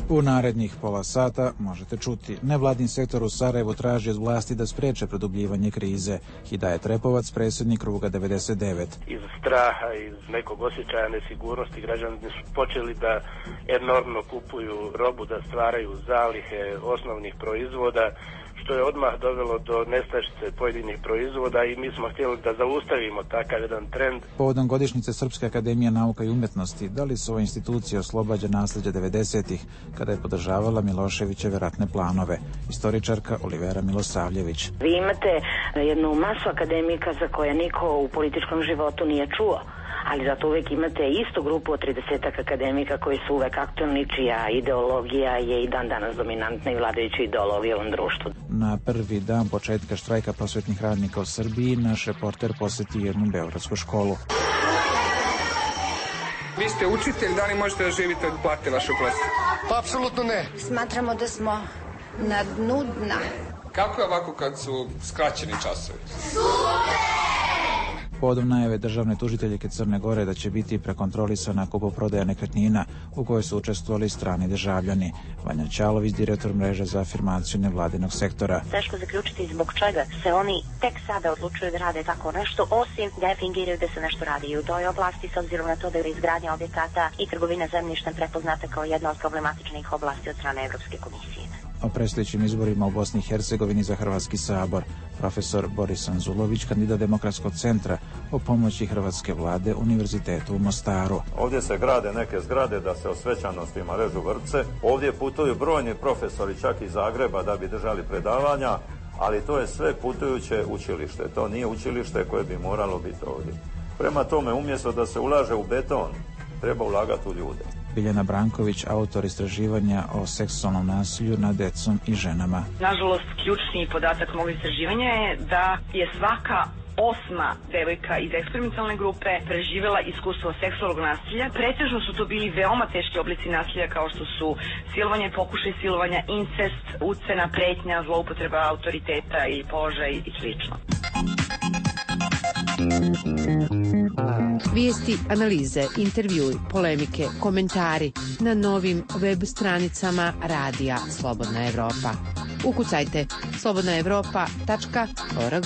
U narednih pola sata možete čuti: nevladin sektor u Sarajevu traži od vlasti da spreče produbljivanje krize. Hidajet Repovac, predsjednik Kruga 99. Iz straha, iz nekog osjećaja nesigurnosti građani su počeli da enormno kupuju robu, da stvaraju zalihe osnovnih proizvoda, što je odmah dovelo do nestašice pojedinih proizvoda i mi smo htjeli da zaustavimo takav jedan trend. Povodom godišnjice Srpske akademije nauka i umjetnosti, da li su ove institucije oslobađa nasljeđa 90-ih, kada je podržavala Miloševićeve ratne planove? Istoričarka Olivera Milosavljević. Vi imate jednu masu akademika za koje niko u političkom životu nije čuo, ali zato uvijek imate istu grupu od 30 akademika koji su uvek aktualni, čija ideologija je i dan danas dominantna i vladajuća ideologija u ovom društvu. Na prvi dan početka štrajka prosvetnih radnika u Srbiji, naš reporter posjeti jednu beogradsku školu. Vi ste učitelj, da li možete da živite od plate vašu klasu? Pa apsolutno ne. Smatramo da smo na dnu dna. Kako je ovako kad su skraćeni časovi? Povodom najave državne tužiteljke Crne Gore da će biti prekontrolisana kupoprodaja nekretnina u kojoj su učestvovali strani državljani. Vanja Ćalović, direktor mreže za afirmaciju nevladinog sektora. Teško zaključiti zbog čega se oni tek sada odlučuju da rade tako nešto, osim da fingiraju da se nešto radi i u toj oblasti, s obzirom na to da je izgradnja objekata i trgovina zemljištem prepoznata kao jedna od problematičnih oblasti od strane Evropske komisije. O predstojećim izborima u Bosni i Hercegovini za Hrvatski sabor, profesor Boris Anzulović, kandidat Demokratskog centra, o pomoći hrvatske vlade Univerzitetu u Mostaru. Ovdje se grade neke zgrade da se o svečanostima režu vrpce. Ovdje putuju brojni profesori čak iz Zagreba da bi držali predavanja, ali to je sve putujuće učilište. To nije učilište koje bi moralo biti ovdje. Prema tome, umjesto da se ulaže u beton, treba ulagati u ljude. Biljana Branković, autor istraživanja o seksualnom nasilju nad decom i ženama. Nažalost, ključni podatak mog istraživanja je da je svaka 8. devojka iz eksperimentalne grupe preživjela iskustvo seksualnog nasilja. Pretežno su to bili veoma teški oblici nasilja kao što su silovanje, pokušaj silovanja, incest, ucena, pretnja, zloupotreba autoriteta ili položaja i slično. Vijesti, analize, intervjui, polemike, komentari na novim web stranicama Radija Slobodna Evropa. Ukucajte slobodnaevropa.org.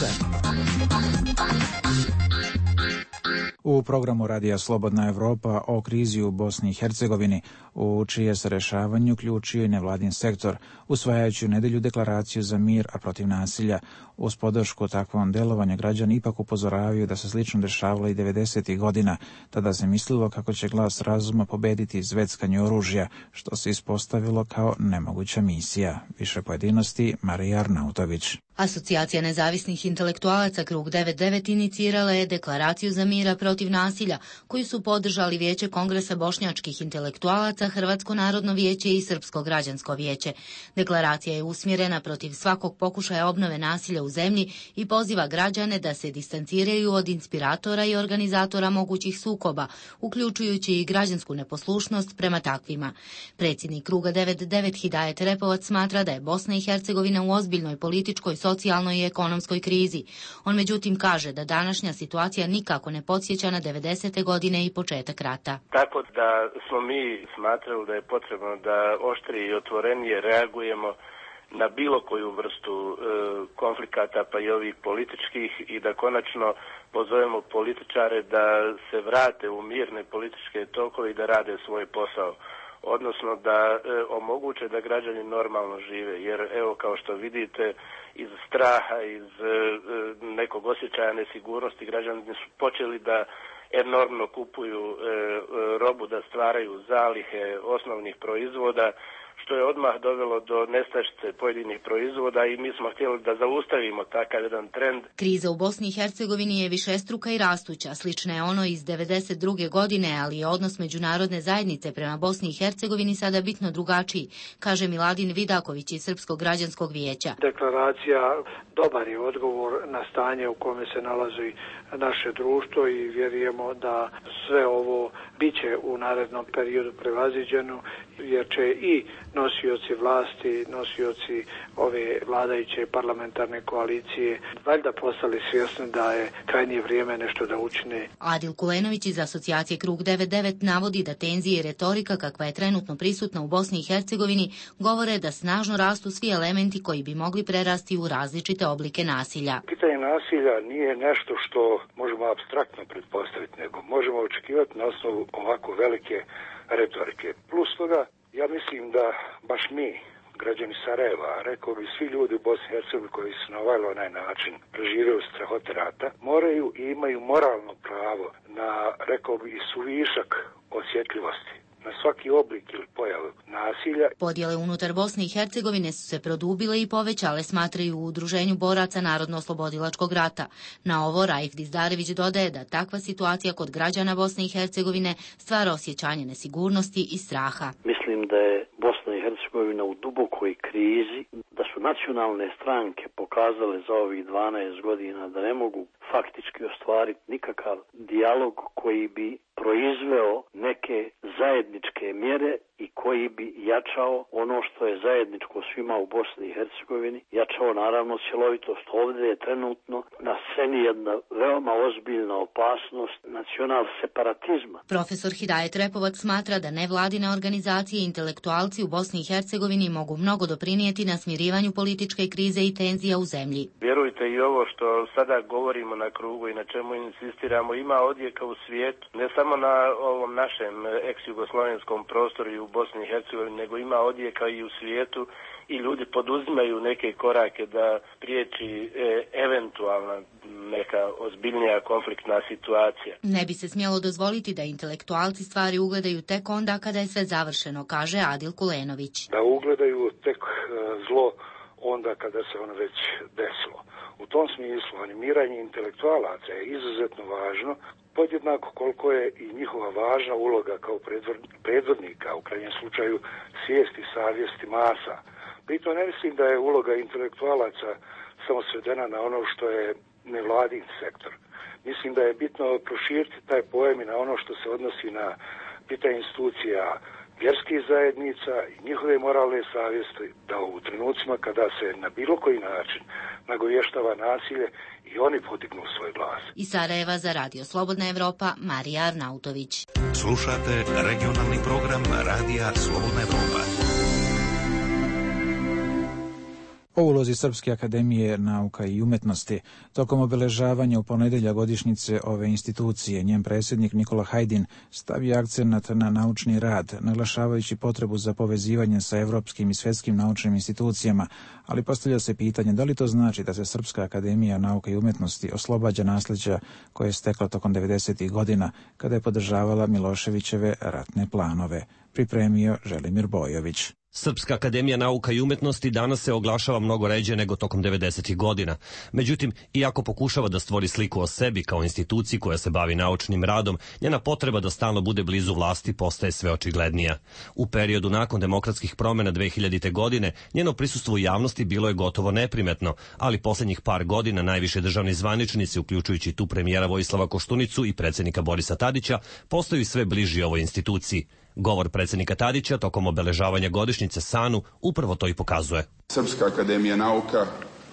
U programu Radija Slobodna Evropa o krizi u Bosni i Hercegovini, u čije se rješavanju uključio i nevladin sektor, usvajajući u nedjelju deklaraciju za mir, a protiv nasilja. Uz podršku takvom delovanju građani ipak upozoravaju da se slično dešavalo i 90. godina. Tada se mislilo kako će glas razuma pobediti zveckanje oružja, što se ispostavilo kao nemoguća misija. Više pojedinosti Marija Arnautović. Asocijacija nezavisnih intelektualaca Krug 99 inicirala je deklaraciju za mira protiv nasilja, koju su podržali Vijeće Kongresa bošnjačkih intelektualaca, Hrvatsko narodno vijeće i Srpsko građansko vijeće. Deklaracija je usmjerena protiv svakog pokušaja obnove nasilja u zemlji i poziva građane da se distanciraju od inspiratora i organizatora mogućih sukoba, uključujući i građansku neposlušnost prema takvima. Predsjednik Kruga 99 Hidajet Repovac smatra da je Bosna i Hercegovina u ozbiljnoj političkoj, socijalnoj i ekonomskoj krizi. On međutim kaže da današnja situacija nikako ne podsjeća na 90. godine i početak rata. Tako da smo mi smatrali da je potrebno da oštrije i otvorenije reagujemo na bilo koju vrstu konflikata, pa i ovih političkih, i da konačno pozovemo političare da se vrate u mirne političke tokove i da rade svoj posao. Odnosno da omoguće da građani normalno žive, jer evo kao što vidite iz straha, iz nekog osjećaja nesigurnosti građani su počeli da enormno kupuju robu, da stvaraju zalihe osnovnih proizvoda, što je odmah dovelo do nestašice pojedinih proizvoda i mi smo htjeli da zaustavimo takav jedan trend. Kriza u Bosni i Hercegovini je višestruka i rastuća, slična je ono iz 1992. godine, ali je odnos međunarodne zajednice prema Bosni i Hercegovini sada bitno drugačiji, kaže Miladin Vidaković iz Srpskog građanskog vijeća. Deklaracija dobar je odgovor na stanje u kome se nalazi naše društvo i vjerujemo da sve ovo biće u narednom periodu prevaziđeno, jer će i nosioci vlasti, nosioci ove vladajuće parlamentarne koalicije valjda postali svjesni da je krajnje vrijeme nešto da učine. Adil Kulenović iz asocijacije Krug 99 navodi da tenzije i retorika kakva je trenutno prisutna u Bosni i Hercegovini govore da snažno rastu svi elementi koji bi mogli prerasti u različite oblike nasilja. Pitanje nasilja nije nešto što možemo apstraktno pretpostaviti, nego možemo očekivati na osnovu ovako velike retorike. Plus toga, ja mislim da baš mi, građani Sarajeva, rekao bi svi ljudi u Bosni i Hercegovini koji su na ovaj onaj način preživjeli strahote rata, moraju i imaju moralno pravo na, rekao bi, i suvišak osjetljivosti na svaki oblik ili pojavu nasilja. Podjele unutar Bosne i Hercegovine su se produbile i povećale, smatraju u Udruženju boraca Narodno-oslobodilačkog rata. Na ovo Raif Dizdarević dodaje da takva situacija kod građana Bosne i Hercegovine stvara osjećanje nesigurnosti i straha. Mislim da je Bosna i Hercegovina u dubokoj krizi, da su nacionalne stranke pokazale za ovih 12 godina da ne mogu faktički ostvariti nikakav dijalog koji bi proizveo neke zajedničke mjere i koji bi jačao ono što je zajedničko svima u Bosni i Hercegovini, jačao naravno cjelovitost. Ovdje je trenutno na sceni jedna veoma ozbiljna opasnost nacional separatizma. Profesor Hidajet Repovac smatra da nevladine organizacije i intelektualci u Bosni i Hercegovini mogu mnogo doprinijeti na smirivanju političke krize i tenzija u zemlji. Vjerujte, i ovo što sada govorimo na krugu i na čemu insistiramo ima odjeka u svijetu, ne samo na ovom našem ex-jugoslovenskom prostoru i u Bosni i Hercegovini, nego ima odjeka i u svijetu i ljudi poduzimaju neke korake da priječi eventualna neka ozbiljnija konfliktna situacija. Ne bi se smjelo dozvoliti da intelektualci stvari ugledaju tek onda kada je sve završeno, kaže Adil Kulenović. Da ugledaju tek zlo onda kada se ono već desilo. U tom smislu animiranje intelektualaca je izuzetno važno, podjednako koliko je i njihova važna uloga kao predvodnika, u krajnjem slučaju svijesti, savjesti masa. Pritom ne mislim da je uloga intelektualaca samo svedena na ono što je nevladin sektor. Mislim da je bitno proširiti taj pojam i na ono što se odnosi na pitanje institucija vjerskih zajednica i njihove moralne savjesti, da u trenucima kada se na bilo koji način nagovještava nasilje i oni podignu svoj glas. Iz Sarajeva za Radio Slobodna Evropa, Marija Arnautović. Slušate regionalni program Radija Slobodna Evropa. O ulozi Srpske akademije nauka i umetnosti tokom obeležavanja u ponedjeljak godišnjice ove institucije, njen predsjednik Nikola Hajdin stavio akcenat na naučni rad, naglašavajući potrebu za povezivanje sa evropskim i svjetskim naučnim institucijama, ali postavlja se pitanje da li to znači da se Srpska akademija nauka i umetnosti oslobađa nasljeđa koje je stekla tokom 90. godina kada je podržavala Miloševićeve ratne planove. Pripremio Želimir Bojović. Srpska akademija nauka i umetnosti danas se oglašava mnogo ređe nego tokom 90. godina. Međutim, iako pokušava da stvori sliku o sebi kao instituciji koja se bavi naučnim radom, njena potreba da stalno bude blizu vlasti postaje sve očiglednija. U periodu nakon demokratskih promjena 2000. godine njeno prisustvo u javnosti bilo je gotovo neprimetno, ali posljednjih par godina najviše državni zvaničnici, uključujući tu premijera Vojislava Koštunicu i predsjednika Borisa Tadića, postaju sve bliži ovoj instituciji. Govor predsjednika Tadića tokom obeležavanja godišnjice SANU upravo to i pokazuje. Srpska akademija nauka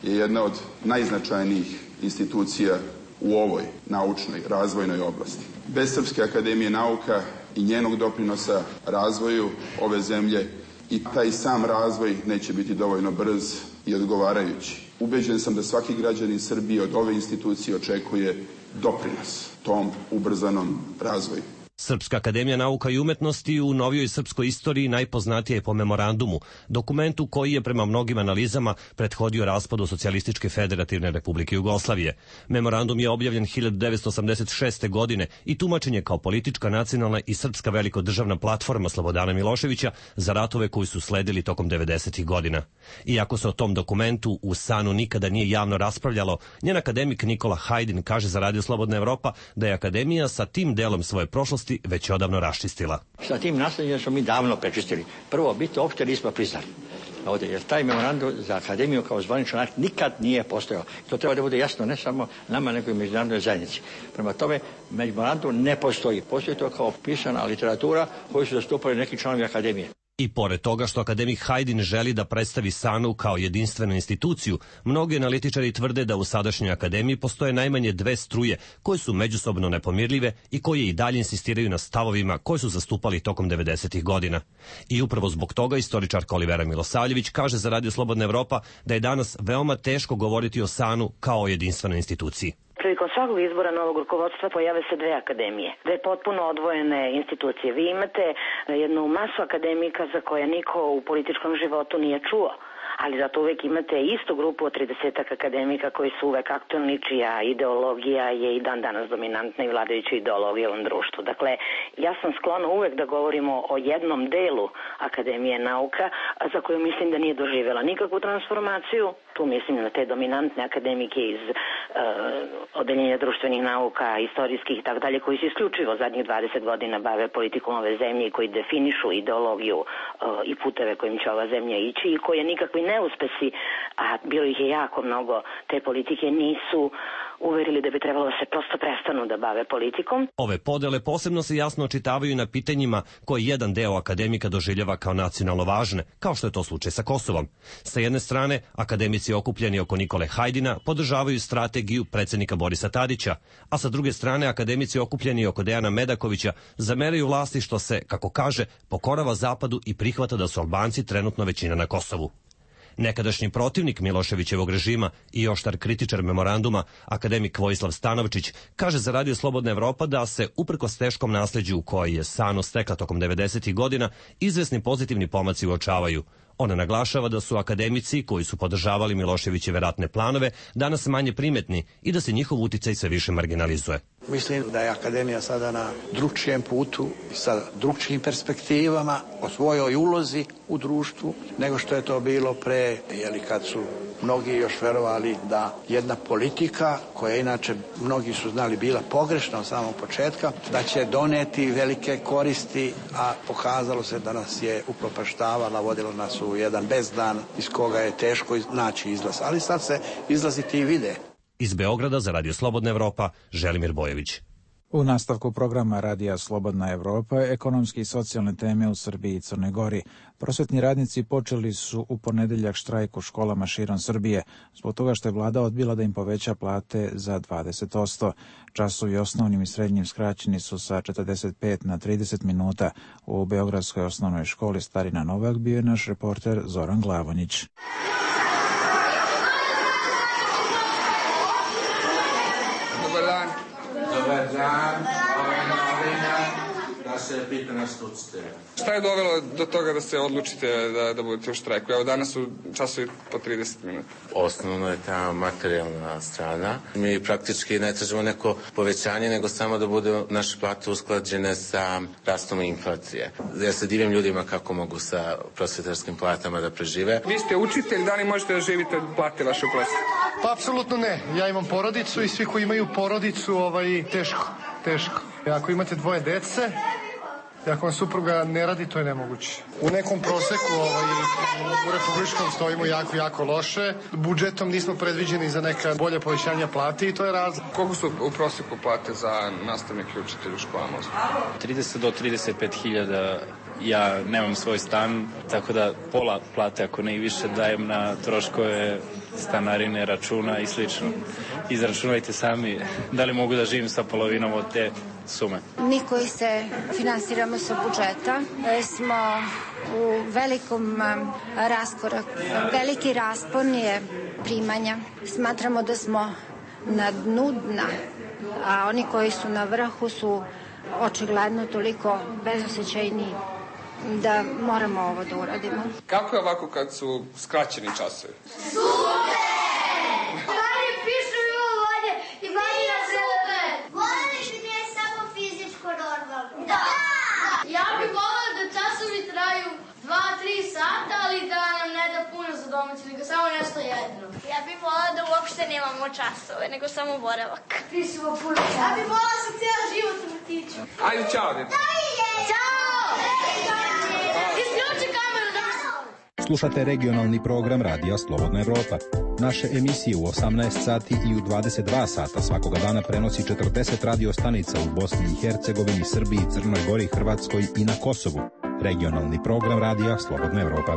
je jedna od najznačajnijih institucija u ovoj naučnoj razvojnoj oblasti. Bez Srpske akademije nauka i njenog doprinosa razvoju ove zemlje i taj sam razvoj neće biti dovoljno brz i odgovarajući. Ubeđen sam da svaki građanin Srbije od ove institucije očekuje doprinos tom ubrzanom razvoju. Srpska akademija nauka i umetnosti u novijoj srpskoj istoriji najpoznatija je po memorandumu, dokumentu koji je prema mnogim analizama prethodio raspadu Socijalističke federativne republike Jugoslavije. Memorandum je objavljen 1986. godine i tumačen je kao politička, nacionalna i srpska velikodržavna platforma Slobodana Miloševića za ratove koji su sledili tokom 90. godina. Iako se o tom dokumentu u SANU nikada nije javno raspravljalo, njen akademik Nikola Hajdin kaže za Radio Slobodna Evropa da je akademija sa tim delom svoje prošlosti već odavno raščistila. Sa tim naslednjem smo mi davno prečistili. Prvo, biti uopšte nismo priznali. Ovdje, jer taj memorandum za akademiju kao zvaničan akt nikad nije postojao. To treba da bude jasno ne samo nama, nego i međunarodnoj zajednici. Prema tome, memorandum ne postoji. Postoji to kao pisana literatura koju su zastupali neki članovi akademije. I pored toga što akademik Hajdin želi da predstavi SANU kao jedinstvenu instituciju, mnogi analitičari tvrde da u sadašnjoj akademiji postoje najmanje dve struje koje su međusobno nepomirljive i koje i dalje insistiraju na stavovima koje su zastupali tokom 90. godina. I upravo zbog toga istoričarka Olivera Milosavljević kaže za Radio Slobodna Evropa da je danas veoma teško govoriti o SANU kao o jedinstvenoj instituciji. Prilikom svakog izbora novog rukovodstva pojave se dve akademije, dve potpuno odvojene institucije. Vi imate jednu masu akademika za koje niko u političkom životu nije čuo, ali zato uvek imate istu grupu od 30 akademika koji su uvek aktualni, čija ideologija je i dan danas dominantna i vladajuća ideologija u ovom društvu. Dakle, ja sam sklona uvek da govorimo o jednom delu Akademije nauka za koju mislim da nije doživjela nikakvu transformaciju. Tu mislim na te dominantne akademike iz odeljenja društvenih nauka, istorijskih i tako dalje, koji se isključivo zadnjih 20 godina bave politikom ove zemlje i koji definišu ideologiju i puteve kojim će ova zemlja ići i koje nikakvi neuspesi, a bilo ih je jako mnogo, te politike nisu uverili da bi trebalo da se prosto prestanu da bave politikom. Ove podele posebno se jasno očitavaju na pitanjima koje jedan deo akademika doživljava kao nacionalno važne, kao što je to slučaj sa Kosovom. Sa jedne strane, akademici okupljeni oko Nikole Hajdina podržavaju strategiju predsjednika Borisa Tadića, a sa druge strane akademici okupljeni oko Dejana Medakovića zameraju vlasti što se, kako kaže, pokorava Zapadu i prihvata da su Albanci trenutno većina na Kosovu. Nekadašnji protivnik Miloševićevog režima i oštar kritičar memoranduma, akademik Vojislav Stanovčić, kaže za Radio Slobodna Evropa da se, uprkos teškom nasleđu koji je SANU stekla tokom 90. godina, izvesni pozitivni pomaci uočavaju. Ona naglašava da su akademici koji su podržavali Miloševićeve ratne planove danas manje primetni i da se njihov uticaj sve više marginalizuje. Mislim da je akademija sada na drugčijem putu, sa drugčijim perspektivama, o svojoj ulozi u društvu, nego što je to bilo pre, kad su mnogi još verovali da jedna politika, koja inače mnogi su znali bila pogrešna od samog početka, da će doneti velike koristi, a pokazalo se da nas je upropaštavala, vodilo nas u jedan bezdan iz koga je teško naći izlaz. Ali sad se izlazi ti vide. Iz Beograda za Radio Slobodna Evropa, Želimir Bojović. U nastavku programa Radija Slobodna Evropa, ekonomske i socijalne teme u Srbiji i Crnoj Gori. Prosvetni radnici počeli su u ponedeljak štrajk u školama širom Srbije, zbog toga što je vlada odbila da im poveća plate za 20%. Časovi osnovnim i srednjim skraćeni su sa 45 na 30 minuta. U Beogradskoj osnovnoj školi Starina Novak bio je naš reporter Zoran Glavonjić. Dobar dan, ovo je novina da se pita na stucite. Šta je dovelo do toga da se odlučite da budete u štrajku? Evo danas su časovi po 30 minuta. Osnovno je ta materijalna strana. Mi praktički ne tražimo neko povećanje, nego samo da budu naše plate usklađene sa rastom inflacije. Ja se divim ljudima kako mogu sa prosvetarskim platama da prežive. Vi ste učitelj, da li možete da živite od plate vaše plese? Pa apsolutno ne. Ja imam porodicu i svi koji imaju porodicu, teško. Ako imate dvoje dece, ako vam supruga ne radi, to je nemoguće. U nekom proseku u republičkom stojimo jako loše. Budžetom nismo predviđeni za neka bolja povećanja plate i to je razlog. Koliko su u proseku plate za nastavnike i učitelje u školama? 30 do 35.000. Ja nemam svoj stan, tako da pola plate, ako ne i više, dajem na troškove stanarine, računa i slično. Izračunajte sami da li mogu da živim sa polovinom od te sume. Mi koji se finansiramo sa budžeta smo u velikom raskoraku. Veliki raspon je primanja. Smatramo da smo na dnu dna, a oni koji su na vrhu su očigledno toliko bezosećajni da moramo ovo da uradimo. Kako je ovako kad su skraćeni časovi? Super! Manje pišu i uvode i manje na sebe. Voleli bi ne samo fizičko normalno. Da! Ja bih volela da časovi traju 2-3 sata, ali da nam ne da puno za domaći, nego samo nešto jedno. Ja bih volela da uopšte nemamo časove, nego samo boravak. Pišemo puno časova. Ja bih volela sam cijela život u vrtiću. Ajde, čao, djeca. Ćao! Isključi kameru da se... Slušate regionalni program Radija Slobodna Evropa. Naše emisije u 18 sati i u 22 sata svakoga dana prenosi 40 radio stanica u Bosni i Hercegovini, Srbiji, Crnoj Gori, Hrvatskoj i na Kosovu. Regionalni program Radija Slobodna Evropa.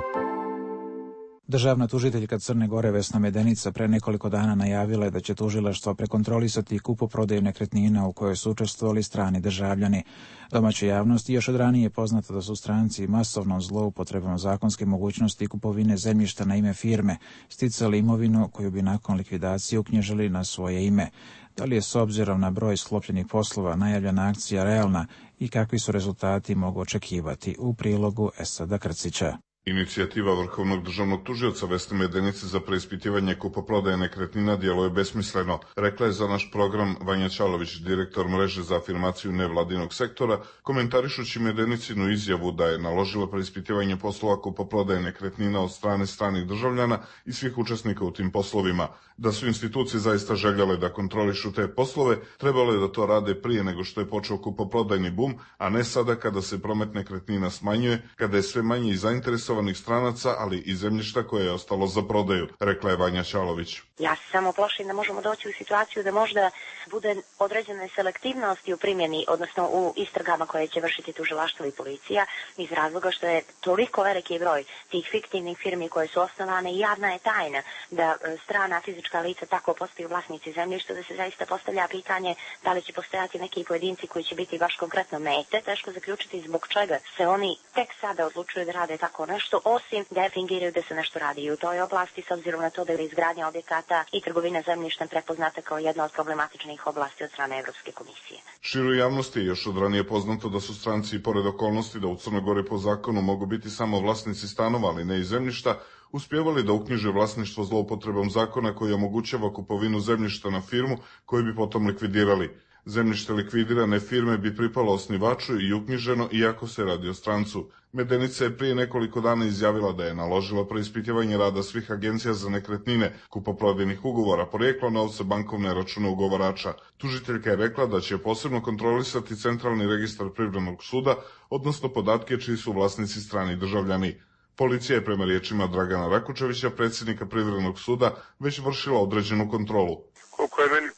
Državna tužiteljka Crne Gore Vesna Medenica pre nekoliko dana najavila je da će tužilaštvo prekontrolisati kupoprodaju nekretnina u kojoj su učestvovali strani državljani. Domaćoj javnosti još od ranije je poznato da su stranci masovnom zloupotrebom zakonske mogućnosti kupovine zemljišta na ime firme sticali imovinu koju bi nakon likvidacije uknjižili na svoje ime. Da li je s obzirom na broj sklopljenih poslova najavljena akcija realna i kakvi su rezultati mogu očekivati, u prilogu Esada Krcića. Inicijativa Vrhovnog državnog tužioca Vesne Medenice za preispitivanje kupoprodaje nekretnina djeluje besmisleno, rekla je za naš program Vanja Ćalović, direktor mreže za afirmaciju nevladinog sektora, komentarišući Medenicinu izjavu da je naložila preispitivanje poslova kupoprodaje nekretnina od strane stranih državljana i svih učesnika u tim poslovima. Da su institucije zaista željele da kontrolišu te poslove, trebalo je da to rade prije nego što je počeo kupoprodajni bum, a ne sada kada se promet nekretnina smanjuje, kada je sve manje i zainteresovanih stranaca, ali i zemljišta koje je ostalo za prodaju, rekla je Vanja Ćalović. Ja se samo plašim da možemo doći u situaciju da možda bude određene selektivnosti u primjeni, odnosno u istragama koje će vršiti tužilaštvo i policija, iz razloga što je toliko veliki broj tih fiktivnih firmi koje su osnovane i javna je tajna da strana fizička lica tako postaju vlasnici zemljišta, da se zaista postavlja pitanje da li će postojati neki pojedinci koji će biti baš konkretno mete. Teško zaključiti zbog čega se oni tek sada odlučuju da rade tako nešto, osim da fingiraju da se nešto radi i u toj oblasti, s obzirom na to da je izgradnja objekata i trgovina zemljištem prepoznata kao jedna od problematičnih oblasti od strane Evropske komisije. Široj javnosti je još od ranije poznato da su stranci, pored okolnosti da u Crnoj Gori po zakonu mogu biti samo vlasnici stanova, ali ne i zemljišta, uspjevali da uknjiže vlasništvo zloupotrebom zakona koji omogućava kupovinu zemljišta na firmu koju bi potom likvidirali. Zemljište likvidirane firme bi pripalo osnivaču i uknjiženo iako se radi o strancu. Medenica je prije nekoliko dana izjavila da je naložila preispitivanje rada svih agencija za nekretnine, kupoprodajnih ugovora, porijeklo novca, bankovne račune ugovarača. Tužiteljka je rekla da će posebno kontrolisati centralni registar Privrednog suda, odnosno podatke čiji su vlasnici strani državljani. Policija je prema riječima Dragana Rakučevića, predsjednika Privrednog suda, već vršila određenu kontrolu. Koliko je meni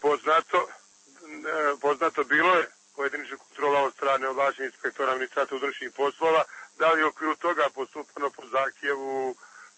poznato bilo je pojedinačna kontrola od strane ovlaštenih inspektora Ministarstva unutrašnjih poslova, da li je u okviru toga postupano po zahtjevu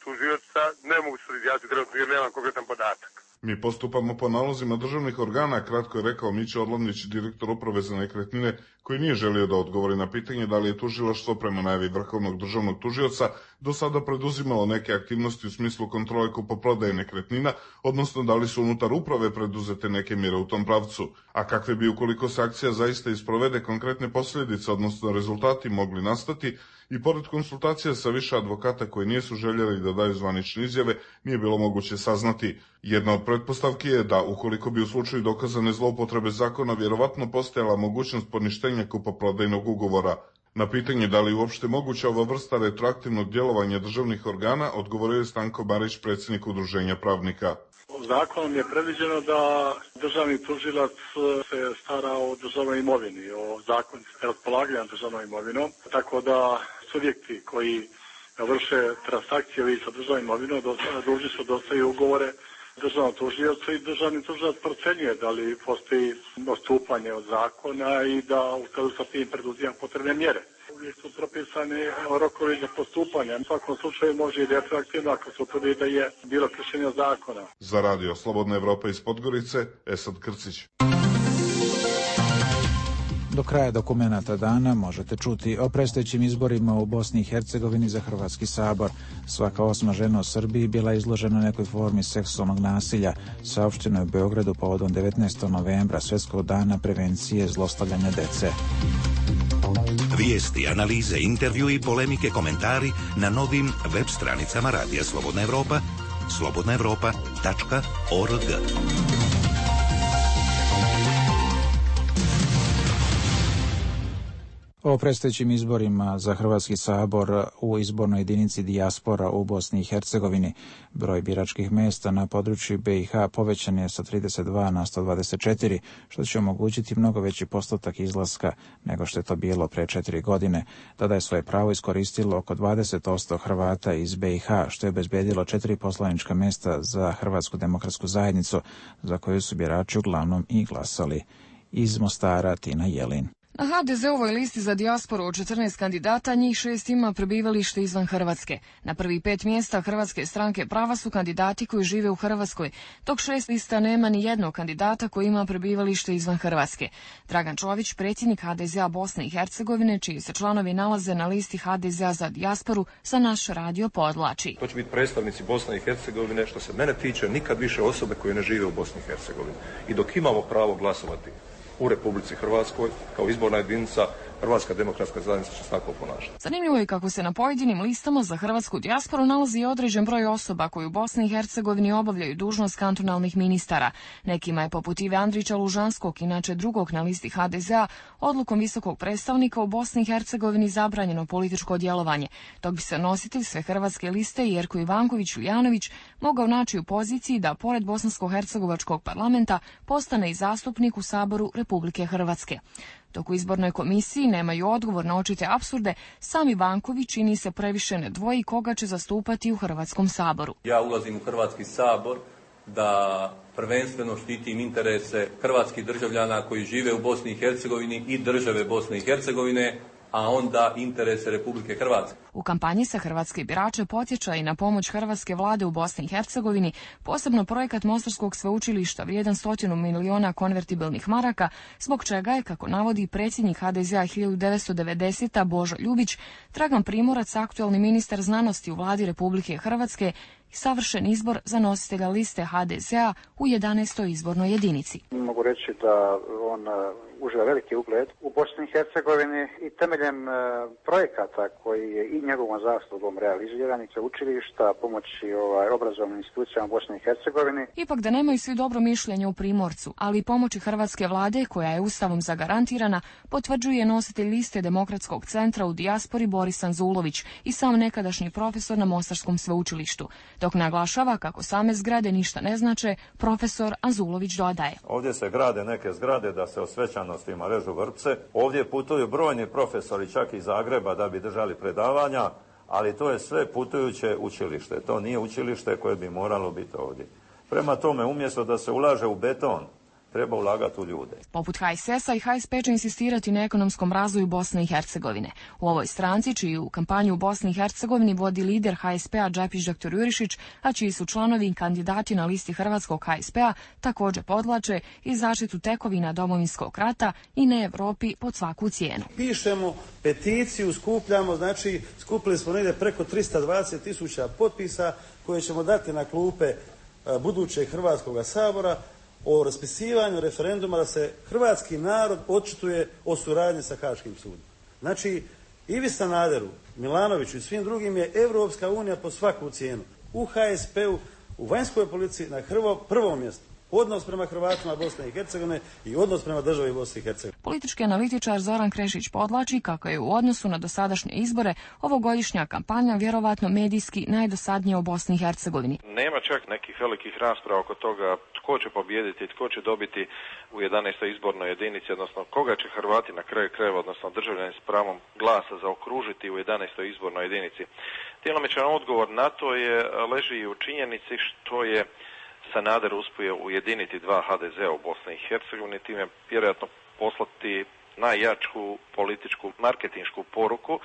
tužioca, ne mogu se izjasniti trenutno jer nemam konkretan podatak. Mi postupamo po nalozima državnih organa, kratko je rekao Mića Odlovnić, direktor uprave za nekretnine, koji nije želio da odgovori na pitanje da li je tužilaštvo prema najavi Vrhovnog državnog tužioca do sada preduzimalo neke aktivnosti u smislu kontrole kupoprodaje nekretnina, odnosno da li su unutar uprave preduzete neke mjere u tom pravcu, a kakve bi ukoliko se akcija zaista isprovede konkretne posljedice, odnosno rezultati mogli nastati, i pored konsultacija sa više advokata koji nisu željeli da daju zvanične izjave, nije bilo moguće saznati. Jedna od pretpostavki je da, ukoliko bi u slučaju dokazane zloupotrebe zakona vjerovatno postojala mogućnost poništenja kupoprodajnog ugovora. Na pitanje da li uopšte moguća ova vrsta retroaktivnog djelovanja državnih organa, odgovorio je Stanko Barić, predsjednik Udruženja pravnika. Zakonom je predviđeno da državni tužilac se stara o državnoj imovini, o zakonitosti raspolaganja državnom imovinom, tako da subjekti koji vrše transakcije sa državnom imovinom dužni su dostaviti ugovore državnom tužiocu i državni tužilac procenjuje da li postoji odstupanje od zakona i da u skladu sa tim preduzima potrebne mjere. Uvijek su propisani rokovi za postupanje. U svakom slučaju može i retroaktivno ako se utvrdi da je bilo kršenje zakona. Za Radio Slobodna Evropa iz Podgorice, Esad Krcić. Do kraja dokumenata dana možete čuti o predstojećim izborima u Bosni i Hercegovini za Hrvatski sabor. Svaka 8. žena u Srbiji bila izložena nekoj formi seksualnog nasilja, saopšteno je u Beogradu povodom 19. novembra, Svjetskog dana prevencije zlostavljanja dece. Vijesti, analize, intervju i polemike, komentari na novim web stranicama Radija Slobodna Evropa, slobodnaevropa.org. O predstojećim izborima za Hrvatski sabor u izbornoj jedinici dijaspora u Bosni i Hercegovini. Broj biračkih mjesta na području BiH povećan je sa 32 na 124, što će omogućiti mnogo veći postotak izlaska nego što je to bilo pre 4 godine. Tada je svoje pravo iskoristilo oko 20% Hrvata iz BiH, što je obezbedilo 4 poslanička mjesta za Hrvatsku demokratsku zajednicu, za koju su birači uglavnom i glasali. Iz Mostara, Tina Jelin. Na HDZ-ovoj listi za dijasporu od 14 kandidata, njih 6 ima prebivalište izvan Hrvatske. Na prvi 5 mjesta Hrvatske stranke prava su kandidati koji žive u Hrvatskoj, dok 6 lista nema ni jednog kandidata koji ima prebivalište izvan Hrvatske. Dragan Čović, predsjednik HDZ-a Bosne i Hercegovine, čiji se članovi nalaze na listi HDZ-a za dijasporu, za naš radio podvlači. To će biti predstavnici Bosne i Hercegovine, što se mene tiče, nikad više osobe koje ne žive u Bosni i Hercegovini. I dok imamo pravo glasovati u Republici Hrvatskoj, kao izborna jedinica, Hrvatska demokratska zajednica će se tako ponašati. Zanimljivo je kako se na pojedinim listama za hrvatsku dijasporu nalazi i određen broj osoba koji u Bosni i Hercegovini obavljaju dužnost kantonalnih ministara. Nekima je poput Ive Andrića Lužanskog, inače drugog na listi HDZ-a, odlukom visokog predstavnika u Bosni i Hercegovini zabranjeno političko djelovanje, dok bi se nositelj sve hrvatske liste Jerko Ivanković Uljanović mogao naći u poziciji da pored bosansko-hercegovačkog parlamenta postane i zastupnik u Saboru Republike Hrvatske. Dok u izbornoj komisiji nemaju odgovor na očite apsurde, sam Ivanković čini se previše ne dvoji koga će zastupati u Hrvatskom saboru. Ja ulazim u Hrvatski sabor da prvenstveno štitim interese hrvatskih državljana koji žive u Bosni i Hercegovini i države Bosne i Hercegovine, a onda interese Republike Hrvatske. U kampanji se hrvatske birače podsjeća i na pomoć hrvatske vlade u Bosni i Hercegovini, posebno projekat Mostarskog sveučilišta vrijedan 100 miliona konvertibilnih maraka, zbog čega je, kako navodi predsjednik HDZ-a 1990. Božo Ljubić, Dragan Primorac, aktualni ministar znanosti u vladi Republike Hrvatske, i savršen izbor za nositelja liste HDZ-a u 11. izbornoj jedinici. Mogu reći da on uživa veliki ugled u Bosni i Hercegovini i temeljem projekata koji je i njegovom zaslugom realiziran i sveučilišta pomoći obrazovnim institucijama Bosne i Hercegovini. Ipak da nemaju svi dobro mišljenje u Primorcu, ali i pomoći hrvatske vlade, koja je ustavom zagarantirana, potvrđuje nositelj liste Demokratskog centra u dijaspori Boris Anzulović i sam nekadašnji profesor na Mostarskom sveučilištu. Dok naglašava kako same zgrade ništa ne znače, profesor Anzulović dodaje. Ovdje se grade neke zgrade da se o svečanostima režu vrpce. Ovdje putuju brojni profesori čak iz Zagreba da bi držali predavanja, ali to je sve putujuće učilište. To nije učilište koje bi moralo biti ovdje. Prema tome, umjesto da se ulaže u beton, treba ulagati u ljude. Poput HSS-a i HSP će insistirati na ekonomskom razvoju Bosne i Hercegovine. U ovoj stranci, čiju kampanju u Bosni i Hercegovini vodi lider HSP-a Džapić dr. Jurišić, a čiji su članovi i kandidati na listi Hrvatskog HSP-a, također podvlače i zaštitu tekovina Domovinskog rata i ne Evropi pod svaku cijenu. Pišemo peticiju, skupljamo, znači skupili smo negdje preko 320.000 potpisa koje ćemo dati na klupe budućeg Hrvatskog sabora o raspisivanju referenduma da se hrvatski narod očituje o suradnji sa Haškim sudom. Znači, Ivi Sanaderu, Milanoviću i svim drugim je Evropska unija po svaku cijenu. U HSP-u, u vanjskoj politici na prvom mjestu. Odnos prema Hrvatima Bosne i Hercegovine i odnos prema državi Bosne i Hercegovine. Politički analitičar Zoran Krešić podvlači kako je u odnosu na dosadašnje izbore ovogodišnja kampanja vjerovatno medijski najdosadnija u Bosni i Hercegovini. Nema čak nekih velikih rasprava oko toga tko će pobijediti, tko će dobiti u 11. izbornoj jedinici, odnosno koga će Hrvati na kraju krajeva, odnosno državljani s pravom glasa zaokružiti u 11. izbornoj jedinici. Djelomičan odgovor na to leži i u činjenici što je Sanader uspio ujediniti dva HDZ-a u Bosni i Hercegovini, time vjerojatno poslati najjaču političku marketinšku poruku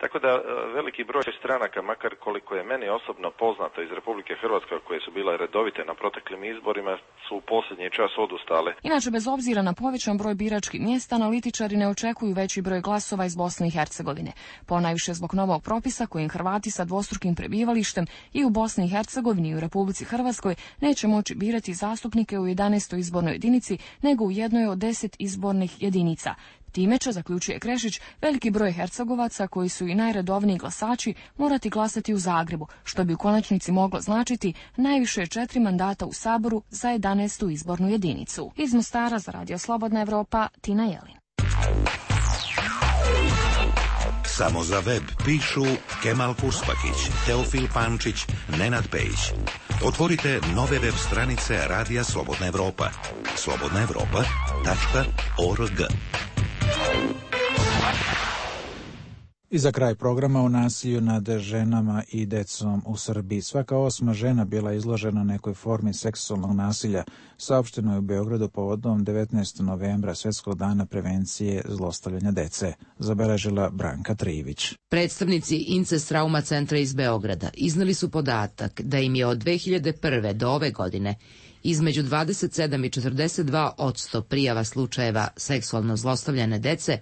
Tako da veliki broj stranaka, makar koliko je meni osobno poznato iz Republike Hrvatske, koje su bile redovite na proteklim izborima, su u posljednji čas odustale. Inače, bez obzira na povećan broj biračkih mjesta, analitičari ne očekuju veći broj glasova iz Bosne i Hercegovine. Ponajviše zbog novog propisa kojim Hrvati sa dvostrukim prebivalištem i u Bosni i Hercegovini i u Republici Hrvatskoj neće moći birati zastupnike u 11. izbornoj jedinici, nego u jednoj od 10 izbornih jedinica. Time će, zaključuje Krešić, veliki broj Hercegovaca koji su i najredovniji glasači morati glasati u Zagrebu, što bi u konačnici moglo značiti najviše 4 mandata u Saboru za 11. izbornu jedinicu. Iz Mostara za Radio Slobodna Evropa, Tina Jelin. Samo za web pišu Kemal Kurspakić, Teofil Pančić, Nenad Pejić. Otvorite nove web stranice Radija Slobodna Evropa. slobodnaevropa.org. I za kraj programa o nasilju nad ženama i decom u Srbiji. Svaka 8. žena bila izložena nekoj formi seksualnog nasilja, saopšteno je u Beogradu povodom 19. novembra, Svjetskog dana prevencije zlostavljanja dece, zabeležila Branka Trijević. Predstavnici Incest Trauma centra iz Beograda iznali su podatak da im je od 2001. do ove godine između 27 i 42% prijava slučajeva seksualno zlostavljane dece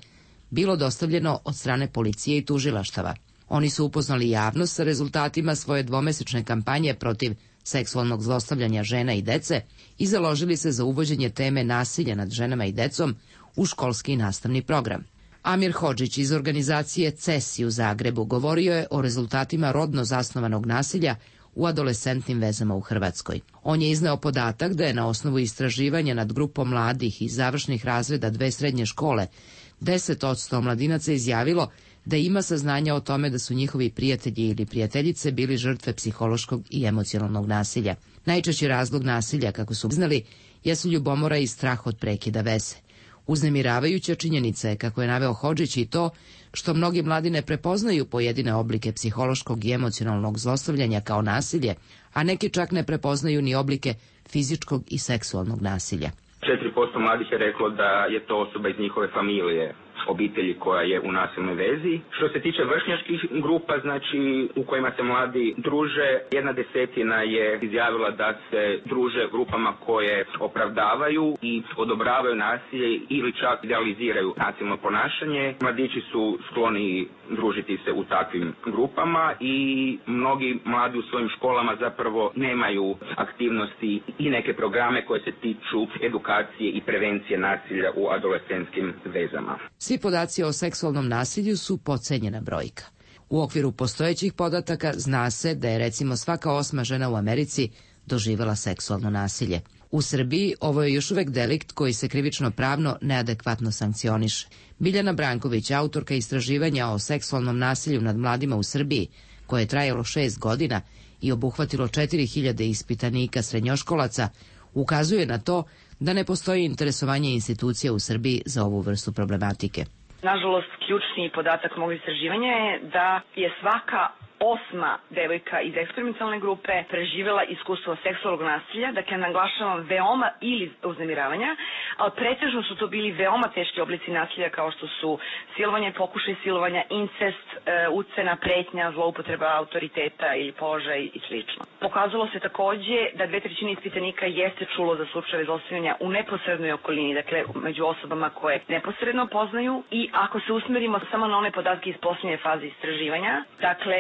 bilo dostavljeno od strane policije i tužilaštava. Oni su upoznali javnost sa rezultatima svoje dvomesečne kampanje protiv seksualnog zlostavljanja žena i dece i založili se za uvođenje teme nasilja nad ženama i decom u školski nastavni program. Amir Hodžić iz organizacije CESI u Zagrebu govorio je o rezultatima rodno zasnovanog nasilja u adolescentnim vezama u Hrvatskoj. On je izneo podatak da je na osnovu istraživanja nad grupom mladih iz završnih razreda 2 srednje škole 10% omladinaca izjavilo da ima saznanja o tome da su njihovi prijatelji ili prijateljice bili žrtve psihološkog i emocionalnog nasilja. Najčešći razlog nasilja, kako su znali, jesu ljubomora i strah od prekida veze. Uznemiravajuća činjenica je, kako je naveo Hodžić, i to što mnogi mladi ne prepoznaju pojedine oblike psihološkog i emocionalnog zlostavljanja kao nasilje, a neki čak ne prepoznaju ni oblike fizičkog i seksualnog nasilja. 4% mladih je reklo da je to osoba iz njihove familije, obitelji koja je u nasilnoj vezi. Što se tiče vršnjačkih grupa, znači u kojima se mladi druže, 1/10 je izjavila da se druže grupama koje opravdavaju i odobravaju nasilje ili čak idealiziraju nasilno ponašanje. Mladići su skloni družiti se u takvim grupama i mnogi mladi u svojim školama zapravo nemaju aktivnosti i neke programe koje se tiču edukacije i prevencije nasilja u adolescentskim vezama. Svi podaci o seksualnom nasilju su podcenjena brojka. U okviru postojećih podataka zna se da je recimo svaka 8. žena u Americi doživjela seksualno nasilje. U Srbiji ovo je još uvek delikt koji se krivično pravno neadekvatno sankcioniše. Biljana Branković, autorka istraživanja o seksualnom nasilju nad mladima u Srbiji, koje je trajalo 6 godina i obuhvatilo 4000 ispitanika srednjoškolaca, ukazuje na to da ne postoji interesovanje institucija u Srbiji za ovu vrstu problematike. Nažalost, ključni podatak mog istraživanja je da je svaka 8. devojka iz eksperimentalne grupe preživjela iskustvo seksualnog nasilja, dakle naglašavam veoma ili uznemiravanja, ali pretežno su to bili veoma teški oblici nasilja kao što su silovanje, pokušaj silovanja, incest, ucena, pretnja, zloupotreba autoriteta ili položaj i sl. Pokazalo se takođe da 2/3 ispitanika jeste čulo za slučajeve zlostavljanja u neposrednoj okolini, dakle među osobama koje neposredno poznaju, i ako se usmerimo samo na one podatke iz posljednje faze istraživanja, dakle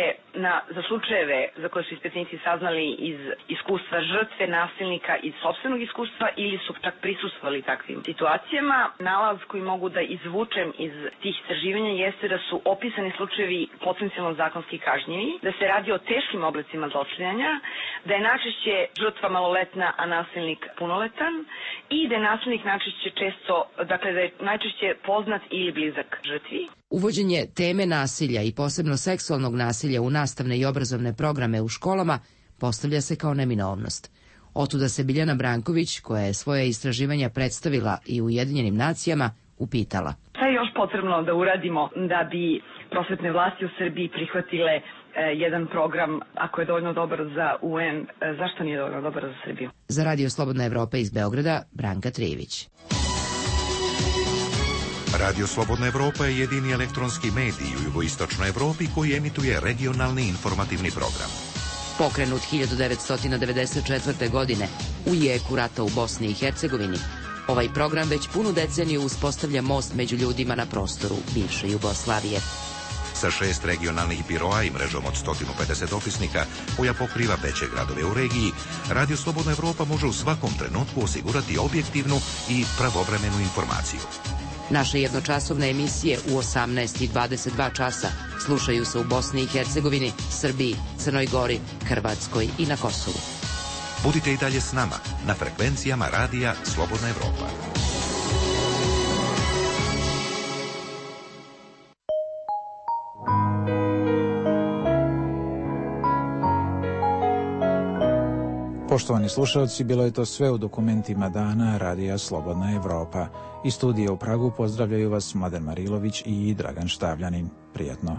za slučajeve za koje su ispitanici saznali iz iskustva žrtve, nasilnika, iz sopstvenog iskustva ili su čak prisustvovali takvim situacijama, nalaz koji mogu da izvučem iz tih istraživanja jeste da su opisani slučajevi potencijalno zakonski kažnjivi, da se radi o teškim oblicima zlostavljanja, da je najčešće žrtva maloletna, a nasilnik punoletan i da je nasilnik da je najčešće poznat ili blizak žrtvi. Uvođenje teme nasilja i posebno seksualnog nasilja u nastavne i obrazovne programe u školama postavlja se kao neminovnost. Otuda se Biljana Branković, koja je svoje istraživanja predstavila i u Ujedinjenim nacijama, upitala. Šta je još potrebno da uradimo da bi prosvetne vlasti u Srbiji prihvatile jedan program, ako je dovoljno dobar za UN, zašto nije dovoljno dobar za Srbiju? Za Radio Slobodna Evropa iz Beograda, Branka Trijević. Radio Slobodna Evropa je jedini elektronski medij u jugoistočnoj Evropi koji emituje regionalni informativni program. Pokrenut 1994. godine u jeku rata u Bosni i Hercegovini, ovaj program već punu deceniju uspostavlja most među ljudima na prostoru bivše Jugoslavije. Sa 6 regionalnih biroa i mrežom od 150 dopisnika koja pokriva veće gradove u regiji, Radio Slobodna Evropa može u svakom trenutku osigurati objektivnu i pravovremenu informaciju. Naše jednočasovne emisije u 18 i 22 časa slušaju se u Bosni i Hercegovini, Srbiji, Crnoj Gori, Hrvatskoj i na Kosovu. Budite i dalje s nama na frekvencijama radija Slobodna Evropa. Poštovani slušalci, bilo je to sve u dokumentima dana Radija Slobodna Evropa. Iz studija u Pragu pozdravljaju vas Mladen Marilović i Dragan Štavljanin. Prijatno.